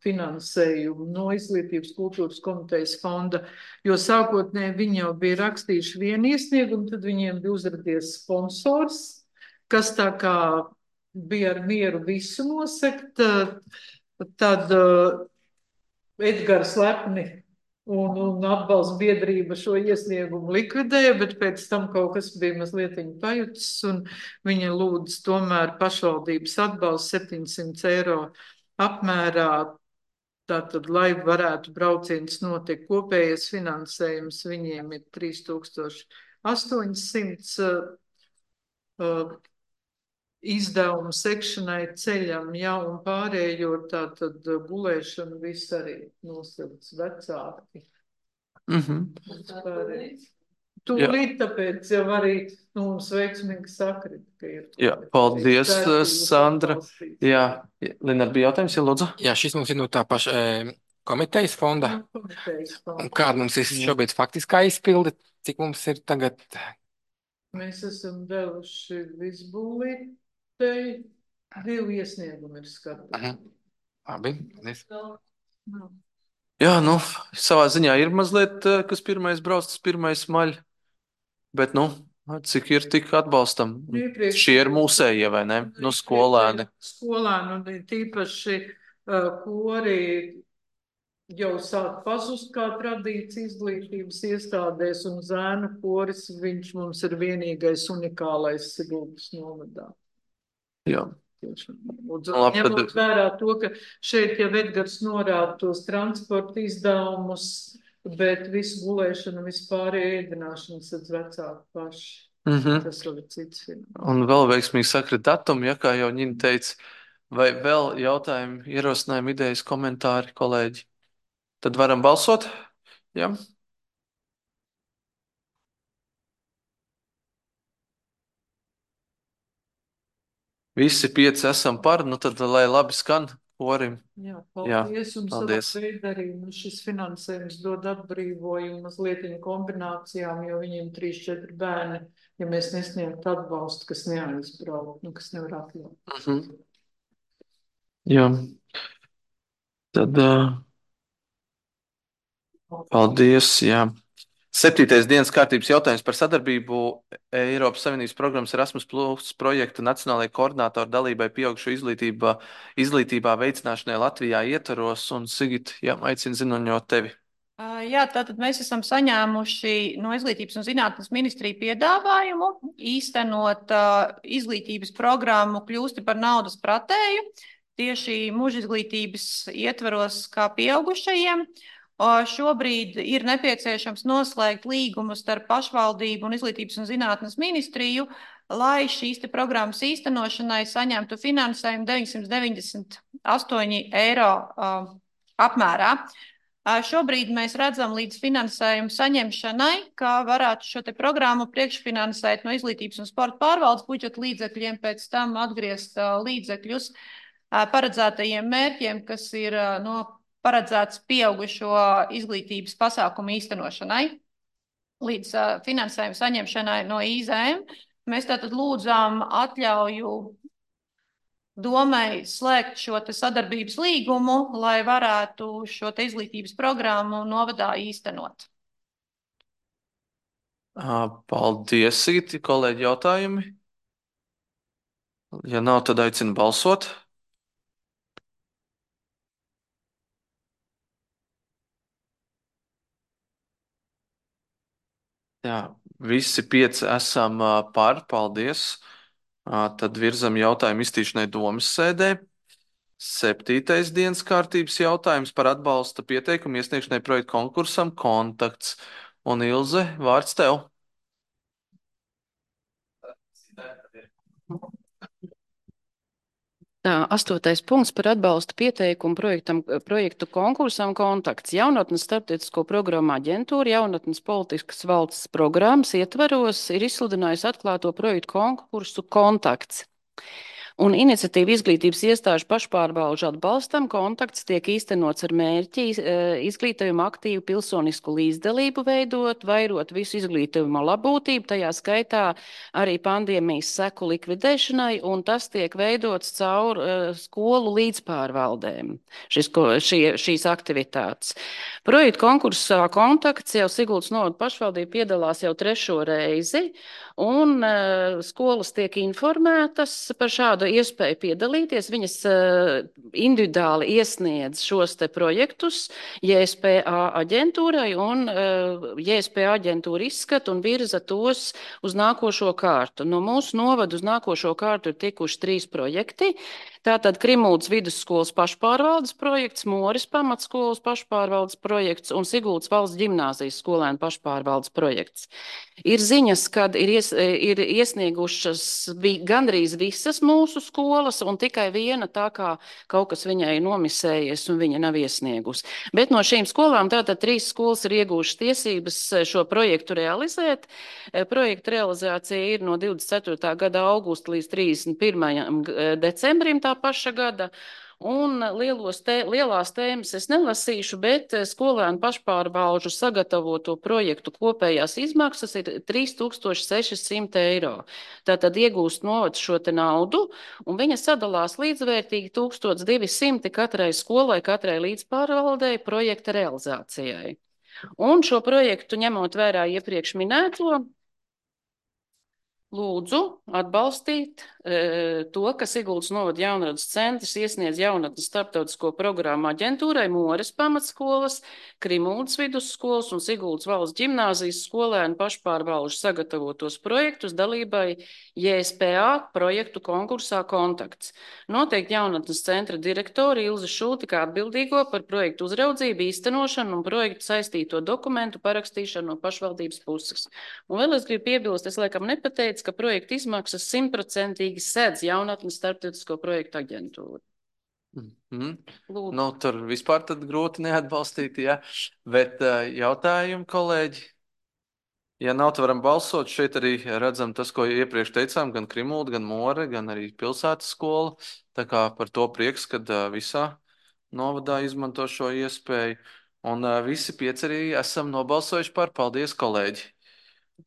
Speaker 2: finansējumu no Izglītības kultūras komitejas fonda, jo sākotnēji viņi jau bija rakstījuši vienu iesniegumu, tad viņiem bija uzradies sponsors, kas tā kā bija ar mieru visu nosekt, tad Edgars Lepni un atbalsta biedrība šo iesniegumu likvidēja, bet pēc tam kaut kas bija mazliet pajutis, un viņa lūdz tomēr pašvaldības atbalstu 700 eiro apmērā, tātad, lai varētu brauciens notikt. Kopējais finansējums viņiem ir 3800 izdevumu sekšanai, ceļam, jā, un pārējo tātad gulēšanu viss arī nosauc vecāki. Tūlīt, tāpēc jau arī mums veiksmīgi sakrit, ka ir.
Speaker 1: Jā, paldies, Sandra. Jā, Linar, bija jautājums, ja lūdzu?
Speaker 6: Jā, šis mums ir no tā paša komitejas fonda. Un kāda mums ir šobrīd faktiskā izpilde? Cik mums ir tagad?
Speaker 2: Mēs esam devuši visbūlītei, 2 iesniegumi ir skatīti.
Speaker 6: Labi, paldies.
Speaker 1: Jā, nu, savā ziņā ir mazliet, kas pirmais brauc, tas pirmais maļ, bet, nu, cik ir tik atbalstam. Šie ir mūsējie, vai ne? Nu, skolēni.
Speaker 2: Skolēni, un tīpaši kori jau sāk pazust kā tradīcija izglītības iestādēs, un zēnu koris, viņš mums ir vienīgais unikālais Siguldas novadā.
Speaker 1: Jā.
Speaker 2: Ņemot vērā to, ka šeit jau Edgars norāda tos transporta izdevumus, bet visu gulēšanu, vispārējo ēdināšanu sadz vecāki paši. Tas vēl ir cits finansējums.
Speaker 1: Un vēl veiksmīgi sakrit datumu, ja kā jau Ņina teica, vai vēl jautājumi, ierosinājumi, idejas, komentāri, kolēģi? Tad varam balsot? Jā. Visi 5 esam par, nu tad, lai labi skan korim.
Speaker 2: Jā, paldies. Un
Speaker 1: paldies.
Speaker 2: Savā veidā arī šis finansējums dod atbrīvojumu mazliet kombinācijām, jo viņiem 3-4 bērni, ja mēs nesniegtu atbalstu, kas neaizbraukt, kas nevar atļaut.
Speaker 1: Jā. Tad paldies, jā. 7. dienas kārtības jautājums par sadarbību Eiropas Savienības programmas Erasmus Plus projekta nacionālajai koordinātoru dalībai pieaugušo izglītībā veicināšanai Latvijā ietvaros. Un Sigita, jā, aicinu ziņot tevi.
Speaker 3: Jā, tātad mēs esam saņēmuši no Izglītības un zinātnes ministrija piedāvājumu īstenot izglītības programmu Kļūsti par naudas pratēju tieši mūža izglītības ietvaros kā pieaugušajiem. Šobrīd ir nepieciešams noslēgt līgumu starp pašvaldību un Izglītības un zinātnes ministriju, lai šīs programmas īstenošanai saņemtu finansējumu 998 eiro apmērā. Šobrīd mēs redzam līdz finansējumu saņemšanai, kā varētu šo programmu priekšfinansēt no Izglītības un sporta pārvaldes budžeta līdzekļiem, pēc tam atgriezt līdzekļus paredzētajiem mērķiem, kas ir paredzēts pieaugušo izglītības pasākumu īstenošanai. Līdz finansējuma saņemšanai no IZM mēs tātad lūdzām atļauju domai slēgt šo sadarbības līgumu, lai varētu šo izglītības programmu novadā īstenot.
Speaker 1: Paldies, Sigita. Kolēģi, jautājumi? Ja nav, tad aicinu balsot. Jā, visi 5 esam par, paldies. Tad virzam jautājumu iztīšanai domas sēdē. 7. dienas kārtības jautājums par atbalsta pieteikumu iesniegšanai projektu konkursam Kontakts. Un Ilze, vārds tev.
Speaker 7: Tā, 8. punkts par atbalstu pieteikumu projektu konkursam kontakts. Jaunatnes starptautisko programmu aģentūra jaunatnes politiskas valsts programmas ietvaros ir izsludinājusi atklāto projektu konkursu kontakts. Un iniciatīva izglītības iestāžu pašpārvalžu atbalstam kontakts tiek īstenots ar mērķi izglītojumu aktīvu pilsonisku līdzdalību veidot, vairot visu izglītojumu labūtību, tajā skaitā arī pandēmijas seku likvidēšanai, un tas tiek veidots caur skolu līdzpārvaldēm, šīs aktivitātes. Projektu konkursā kontakts jau Siguldas novada pašvaldība piedalās jau 3. reizi, un skolas tiek informētas par šādu iespēju piedalīties. Viņas individuāli iesniedz šos te projektus JSPA aģentūrai, un JSPA aģentūra izskata un virza tos uz nākošo kārtu. No mūsu novada uz nākošo kārtu ir tikuši 3 projekti. Tātad Krimuldas vidusskolas pašpārvaldes projekts, Moris pamatskolas pašpārvaldes projekts un Siguldas valsts ģimnāzijas skolēnu pašpārvaldes projekts. Ir ziņas, kad ir iesniegušas gandrīz visas mūsu skolas, un tikai viena tā kā kaut kas viņai nomisējies, un viņa nav iesniegusi. Bet no šīm skolām tātad 3 skolas ir iegūšas tiesības šo projektu realizēt. Projekta realizācija ir no 24. gada augusta līdz 31. decembrim tā paša gada. Un lielās tēmas es nelasīšu, bet skolēnu pašpārvalžu sagatavoto projektu kopējās izmaksas ir 3600 eiro. Tātad iegūst novads šo te naudu, un viņa sadalās līdzvērtīgi 1200 katrai skolai, katrai līdzpārvaldei projekta realizācijai. Un šo projektu ņemot vērā iepriekš minēto, lūdzu atbalstīt to, ka Siguldas novada jaunradas centrs iesniedz jaunatnes starptautisko programmu aģentūrai Moris pamatskolas, Krimuldas vidusskolas un Siguldas valsts ģimnāzijas skolēnu pašpārvalžu sagatavotos projektus dalībai JSPA projektu konkursā kontakts. Noteikti jaunatnes centra direktori Ilze Šulti kā atbildīgo par projektu uzraudzību, īstenošanu un projektu saistīto dokumentu parakstīšanu no pašvaldības puses. Un vēl es gribu piebilst, es laikam nepateicu, ka projekta izmaksas 100% sedz jaunatnes starptautisko projektu aģentūru.
Speaker 1: Nu, tur vispār tad grūti neatbalstīt, ja? Bet jautājumi, kolēģi? Ja nav, tad varam balsot. Šeit arī redzam tas, ko iepriekš teicām, gan Krimulda, gan More, gan arī pilsētas skola. Tā kā par to prieks, kad visā novadā izmanto šo iespēju. Un visi 5 arī esam nobalsojuši par. Paldies, kolēģi!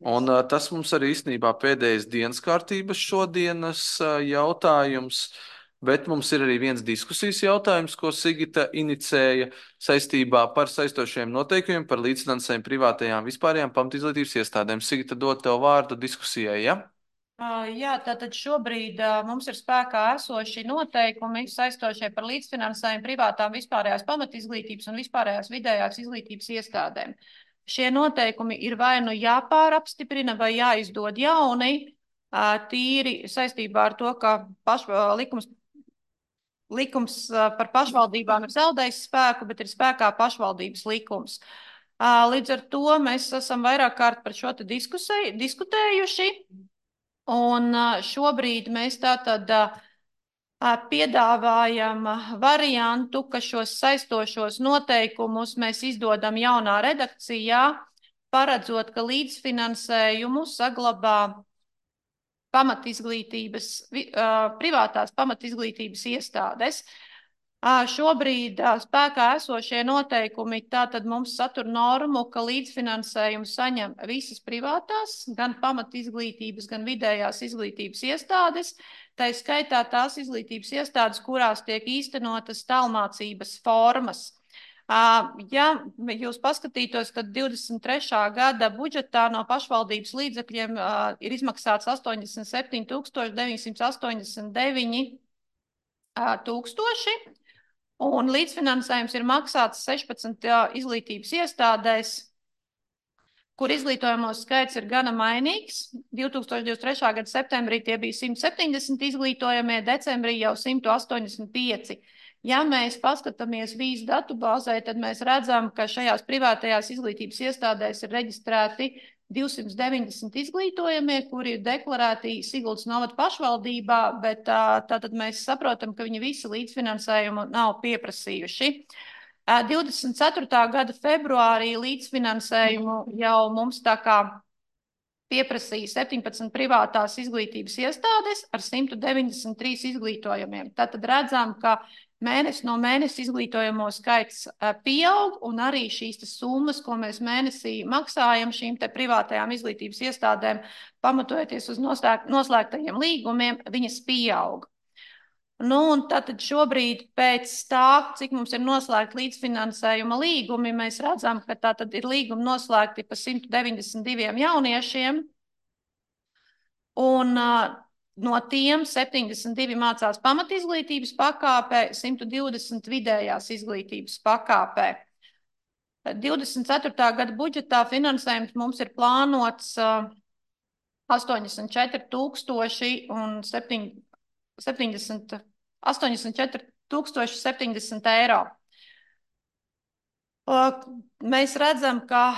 Speaker 1: Un tas mums arī īstenībā pēdējais dienas kārtības šodienas jautājums, bet mums ir arī viens diskusijas jautājums, ko Sigita inicēja saistībā par saistošiem noteikumiem par līdzfinansējumu privātajām vispārējām pamatizglītības iestādēm. Sigita, dod tev vārdu diskusijai, ja?
Speaker 2: Jā, tātad šobrīd mums ir spēkā esoši noteikumi saistošie par līdzfinansējumu privātām vispārējās pamatizglītības un vispārējās vidējās izglītības iestādēm. Šie noteikumi ir vai nu jāpārapstiprina vai jāizdod jauni, tīri saistībā ar to, ka likums par pašvaldībām ir zaudējis spēku, bet ir spēkā pašvaldības likums. Līdz ar to mēs esam vairāk kārt par šo te diskutējuši, un šobrīd mēs tātad piedāvājam variantu, ka šos saistošos noteikumus mēs izdodam jaunā redakcijā, paredzot, ka līdzfinansējumu saglabā privātās pamatizglītības iestādes. Šobrīd spēkā esošie noteikumi tātad mums satur normu, ka līdzfinansējumu saņem visas privātās, gan pamatizglītības, gan vidējās izglītības iestādes, tā skaitā tās izglītības iestādes, kurās tiek īstenotas tālmācības formas. Ja jūs paskatītos, tad 23. gada budžetā no pašvaldības līdzekļiem ir izmaksāts 87 989 tūkstoši, un līdzfinansējums ir maksāts 16 izglītības iestādēs, kur izglītojamos skaits ir gana mainīgs. 2023. gada septembrī tie bija 170 izglītojamie, decembrī jau 185. Ja mēs paskatāmies vīzu datubāzē, tad mēs redzam, ka šajās privātajās izglītības iestādēs ir reģistrēti 290 izglītojamie, kuri ir deklarēti Siguldas novada pašvaldībā, bet tātad mēs saprotam, ka viņi visi līdzfinansējumu nav pieprasījuši. 24. gada februārī līdzfinansējumu jau mums tā kā pieprasīja 17 privātās izglītības iestādes ar 193 izglītojumiem. Tātad redzam, ka mēnesi no mēnesi izglītojamo skaits pieaug, un arī šīs summas, ko mēs mēnesī maksājam šīm te privātajām izglītības iestādēm, pamatojoties uz noslēgtajiem līgumiem, viņas pieaug. Nu, un tātad šobrīd pēc tā, cik mums ir noslēgti līdzfinansējuma līgumi, mēs redzam, ka tātad ir līgumi noslēgti pa 192 jauniešiem, un no tiem 72 mācās pamatizglītības pakāpē, 120 vidējās izglītības pakāpē. 24. gada budžetā finansējums mums ir plānots 84 070 eiro. Mēs redzam, ka,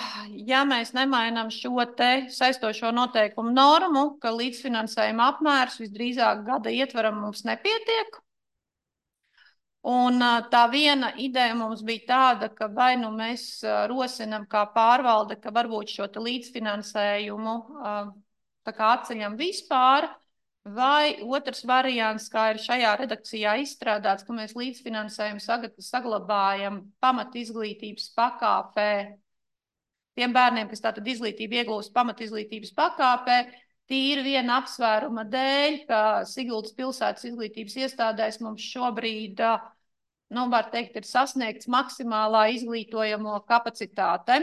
Speaker 2: ja mēs nemainām šo te saistošo noteikumu normu, ka līdzfinansējuma apmērs visdrīzāk gada ietvaram mums nepietiek. Un tā viena ideja mums bija tāda, ka vai nu mēs rosinam kā pārvalde, ka varbūt šo te līdzfinansējumu tā kā atceļam vispār, vai otrs variants, kā ir šajā redakcijā izstrādāts, ka mēs līdzfinansējumu saglabājam pamatizglītības pakāpē tiem bērniem, kas tātad izglītību iegūst pamatizglītības pakāpē, tīri viena apsvēruma dēļ, ka Siguldas pilsētas izglītības iestādēs mums šobrīd, var teikt, ir sasniegts maksimālā izglītojamo kapacitāte.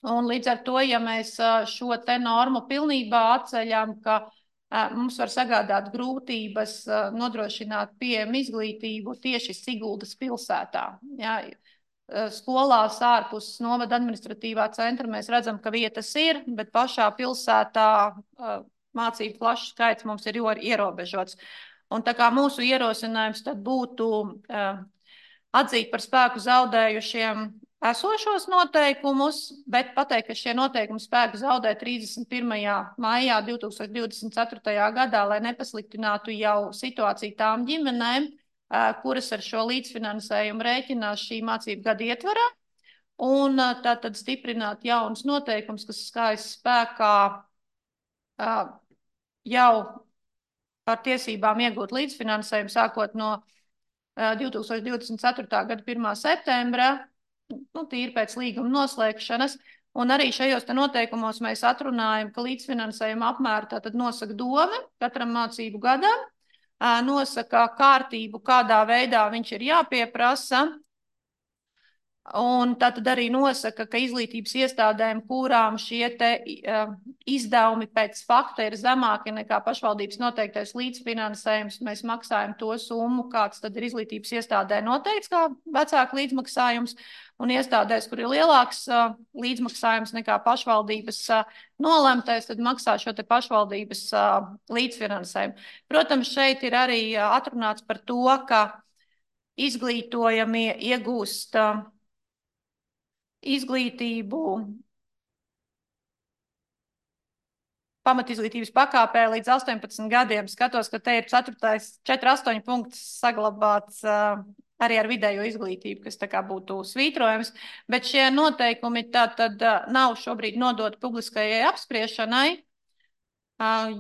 Speaker 2: Un līdz ar to, ja mēs šo te normu pilnībā atceļam, ka mums var sagādāt grūtības nodrošināt pieejamu izglītību tieši Siguldas pilsētā. Jā, skolās ārpus novada administratīvā centra mēs redzam, ka vietas ir, bet pašā pilsētā mācību klašu skaits mums ir ierobežots. Un tā kā mūsu ierosinājums tad būtu atzīt par spēku zaudējušiem esošos noteikumus, bet pateikt, ka šie noteikumi spēku zaudē 31. maijā 2024. gadā, lai nepasliktinātu jau situāciju tām ģimenēm, kuras ar šo līdzfinansējumu rēķinās šī mācību gada ietvarā, un tātad stiprināt jaunas noteikums, kas stājas spēkā jau par tiesībām iegūt līdzfinansējumu sākot no 2024. gada 1. septembra, tīri pēc līguma noslēgšanas, un arī šajos te noteikumos mēs atrunājam, ka līdzfinansējuma apmēru tātad nosaka dome katram mācību gadam, nosaka kārtību, kādā veidā viņš ir jāpieprasa, un tātad arī nosaka, ka izglītības iestādēm, kurām šie te izdevumi pēc fakta ir zemāki nekā pašvaldības noteiktais līdzfinansējums, mēs maksājam to summu, kāds tad ir izglītības iestādē noteikts kā vecāku līdzmaksājums, un iestādēs, kur ir lielāks līdzmaksājums nekā pašvaldības nolemtais, tad maksā šo te pašvaldības līdzfinansējumu. Protams, šeit ir arī atrunāts par to, ka izglītojamie iegūst izglītību pamatizglītības pakāpē līdz 18 gadiem. Skatos, ka te ir 4.8 punkts saglabāts arī ar vidējo izglītību, kas tā kā būtu svītrojams, bet šie noteikumi tātad nav šobrīd nodoti publiskajai apspriešanai,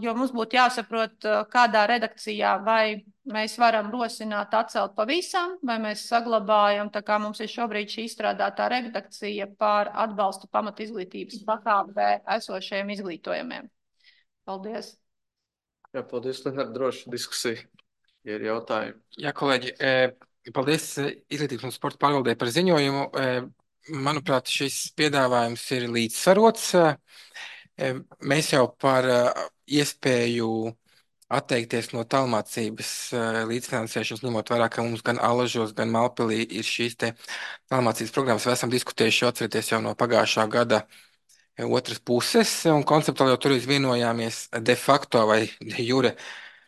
Speaker 2: jo mums būtu jāsaprot, kādā redakcijā vai mēs varam rosināt atcelt pavisam, vai mēs saglabājam, tā kā mums ir šobrīd šī izstrādātā redakcija par atbalstu pamatizglītības pakāpē esošajiem izglītojumiem. Paldies.
Speaker 1: Jā, paldies, Linhart, droši diskusija, ja ir jautājumi.
Speaker 6: Jā, kolēģi, paldies Izglītības un sporta pārvaldē par ziņojumu. Manuprāt, šis piedāvājums ir līdzsvarots. Mēs jau par iespēju atteikties no tālmācības līdzfinansēšanas, ņemot vērā, ka mums gan Alažos, gan Malpilī ir šīs te tālmācības programmas, esam diskutējuši, atcerieties, jau no pagājušā gada otras puses, un konceptuāli jau tur vienojāmies de facto vai de jure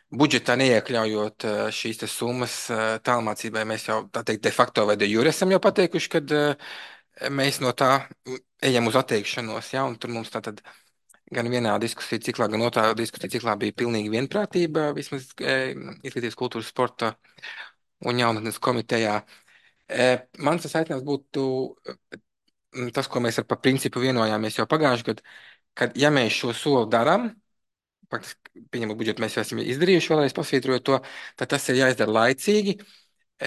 Speaker 6: budžetā neiekļaujot šīs te summas tālmācībai. Mēs jau, tā teikt, de facto vai de jure esam jau pateikuši, kad mēs no tā ejam uz atteikšanos, ja, un tur mums tātad gan vienā diskusiju ciklā, gan otrā diskusiju ciklā bija pilnīgi vienprātība, vismaz izglītības kultūras sporta un jaunatnes komitejā. Mans aicinājums būtu tas, ko mēs ar pa principu vienojāmies jau pagājušajā gadā, kad ja mēs šo soli darām, faktiski, pieņemot budžetu, mēs jau esam izdarījuši, vēlreiz pasvītrojot to, tad tas ir jāizdara laicīgi,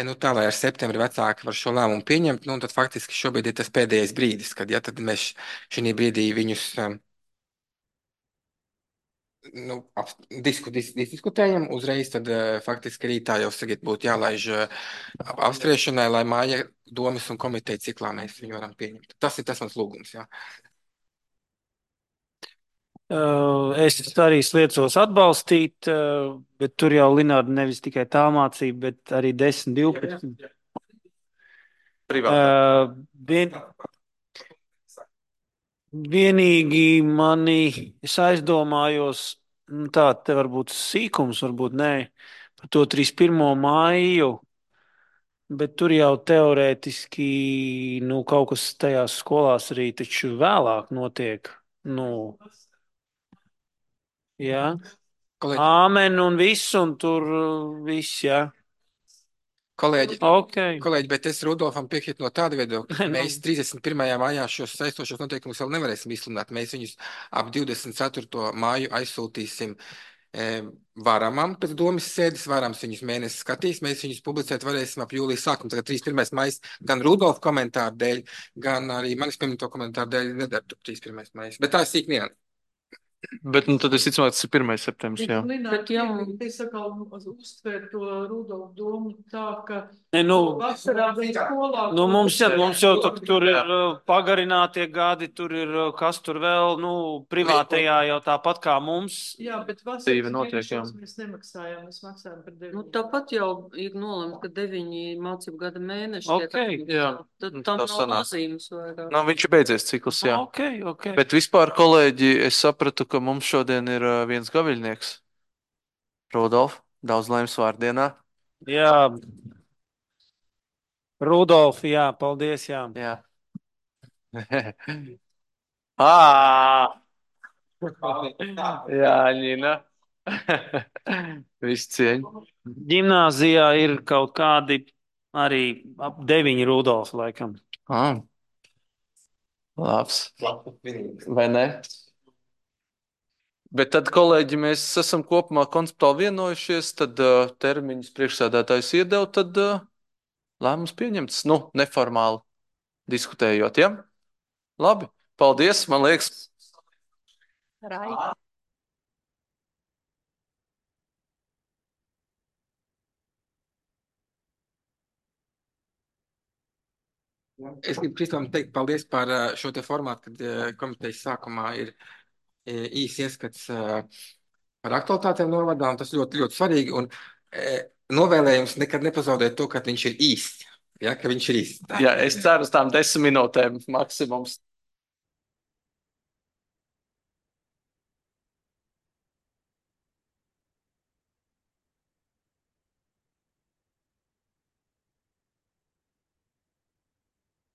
Speaker 6: nu, tā, lai ar septembri vecāki var šo lēmumu pieņemt, nu, un tad faktiski šobrīd ir tas pēdējais brīdis, kad, ja tad mēs šī brīdī viņus nu, diskutējam, uzreiz tad faktiski rītā jau tagad būtu jālaiž apspriešanai, lai māja domas un komiteja ciklā mēs viņu varam pieņemt. Tas ir tas mans lūgums, jā.
Speaker 8: Es arī sliecos atbalstīt, bet tur jau Linārda nevis tikai tā mācība, bet arī 10, 12. Vienīgi es aizdomājos, tā te varbūt sīkums, varbūt nē, par to 31. māju, bet tur jau teorētiski, nu, kaut kas tajās skolās arī taču vēlāk notiek, nu. Jā, āmen un viss, un tur viss, jā.
Speaker 6: Kolēģi,
Speaker 8: Okay.
Speaker 6: Kolēģi, bet es Rudolfam piekrītu no tāda viedokļa. Mēs 31. maijā šos saistošos noteikumus vēl nevarēsim izsludināt. Mēs viņus ap 24. māju aizsūtīsim varamam pēc domas sēdes, varams viņus mēnesi skatīs, mēs viņus publicēt varēsim ap jūlijas sākumu. Tagad 31. maijs gan Rudolfa komentāru dēļ, gan arī manis pieminēto komentāru dēļ nedara 31. maijs. Bet tā ir sīk nianse.
Speaker 1: Bet nu, tad es ticu, ka tas ir 1. septembris. Jā,
Speaker 2: Bet jā, es atkal uztver to Rudolfu domu tā, ka
Speaker 8: Nu,
Speaker 2: vasarā bija skolā.
Speaker 8: nu, mums jau tur ir pagarinātie gadi, tur ir kas tur vēl, nu, privātajā jau tāpat kā mums.
Speaker 2: Jā, bet
Speaker 1: Dzīve notiek, jā.
Speaker 2: vasaras mēs nemaksājām, mēs maksājām par 9.
Speaker 5: Nu, tāpat jau ir nolemts, ka 9 mācību gada mēneši.
Speaker 8: Okay,
Speaker 1: jā.
Speaker 5: Tad tam
Speaker 1: Tā
Speaker 5: nav
Speaker 1: sanāk.
Speaker 5: nozīmes vairāk.
Speaker 1: Nu, viņš ir beidzies cikls, jā.
Speaker 8: Okay.
Speaker 1: Bet vispār, kolēģi, es sapratu, ka mums šodien ir viens gaviļnieks. Rudolf, daudz laimes vārdienā.
Speaker 8: Jā. Rudolf, jā, paldies, jā.
Speaker 1: Jā. Jā, Ņina. Viss cieņa.
Speaker 8: Ģimnāzijā ir kaut kādi arī ap 9 Rudolf, laikam.
Speaker 1: Labs. Vai ne? Bet tad, kolēģi, mēs esam kopumā konceptuāli vienojušies, tad termiņus priekšsēdētājs iedeva, tad lēmums pieņemts, nu, neformāli diskutējot, ja? Labi, paldies, man liekas.
Speaker 4: Rai.
Speaker 6: Es gribu Kristam teikt paldies par šo te formātu, kad komitejas sākumā ir īsi ieskats par aktualitātēm novadā, un tas ļoti, ļoti svarīgi. Un novēlējums nekad nepazaudēt to, ka viņš ir īsts. Ja, ka viņš ir īsts.
Speaker 1: Jā, es ceru uz tām 10 minūtēm maksimums.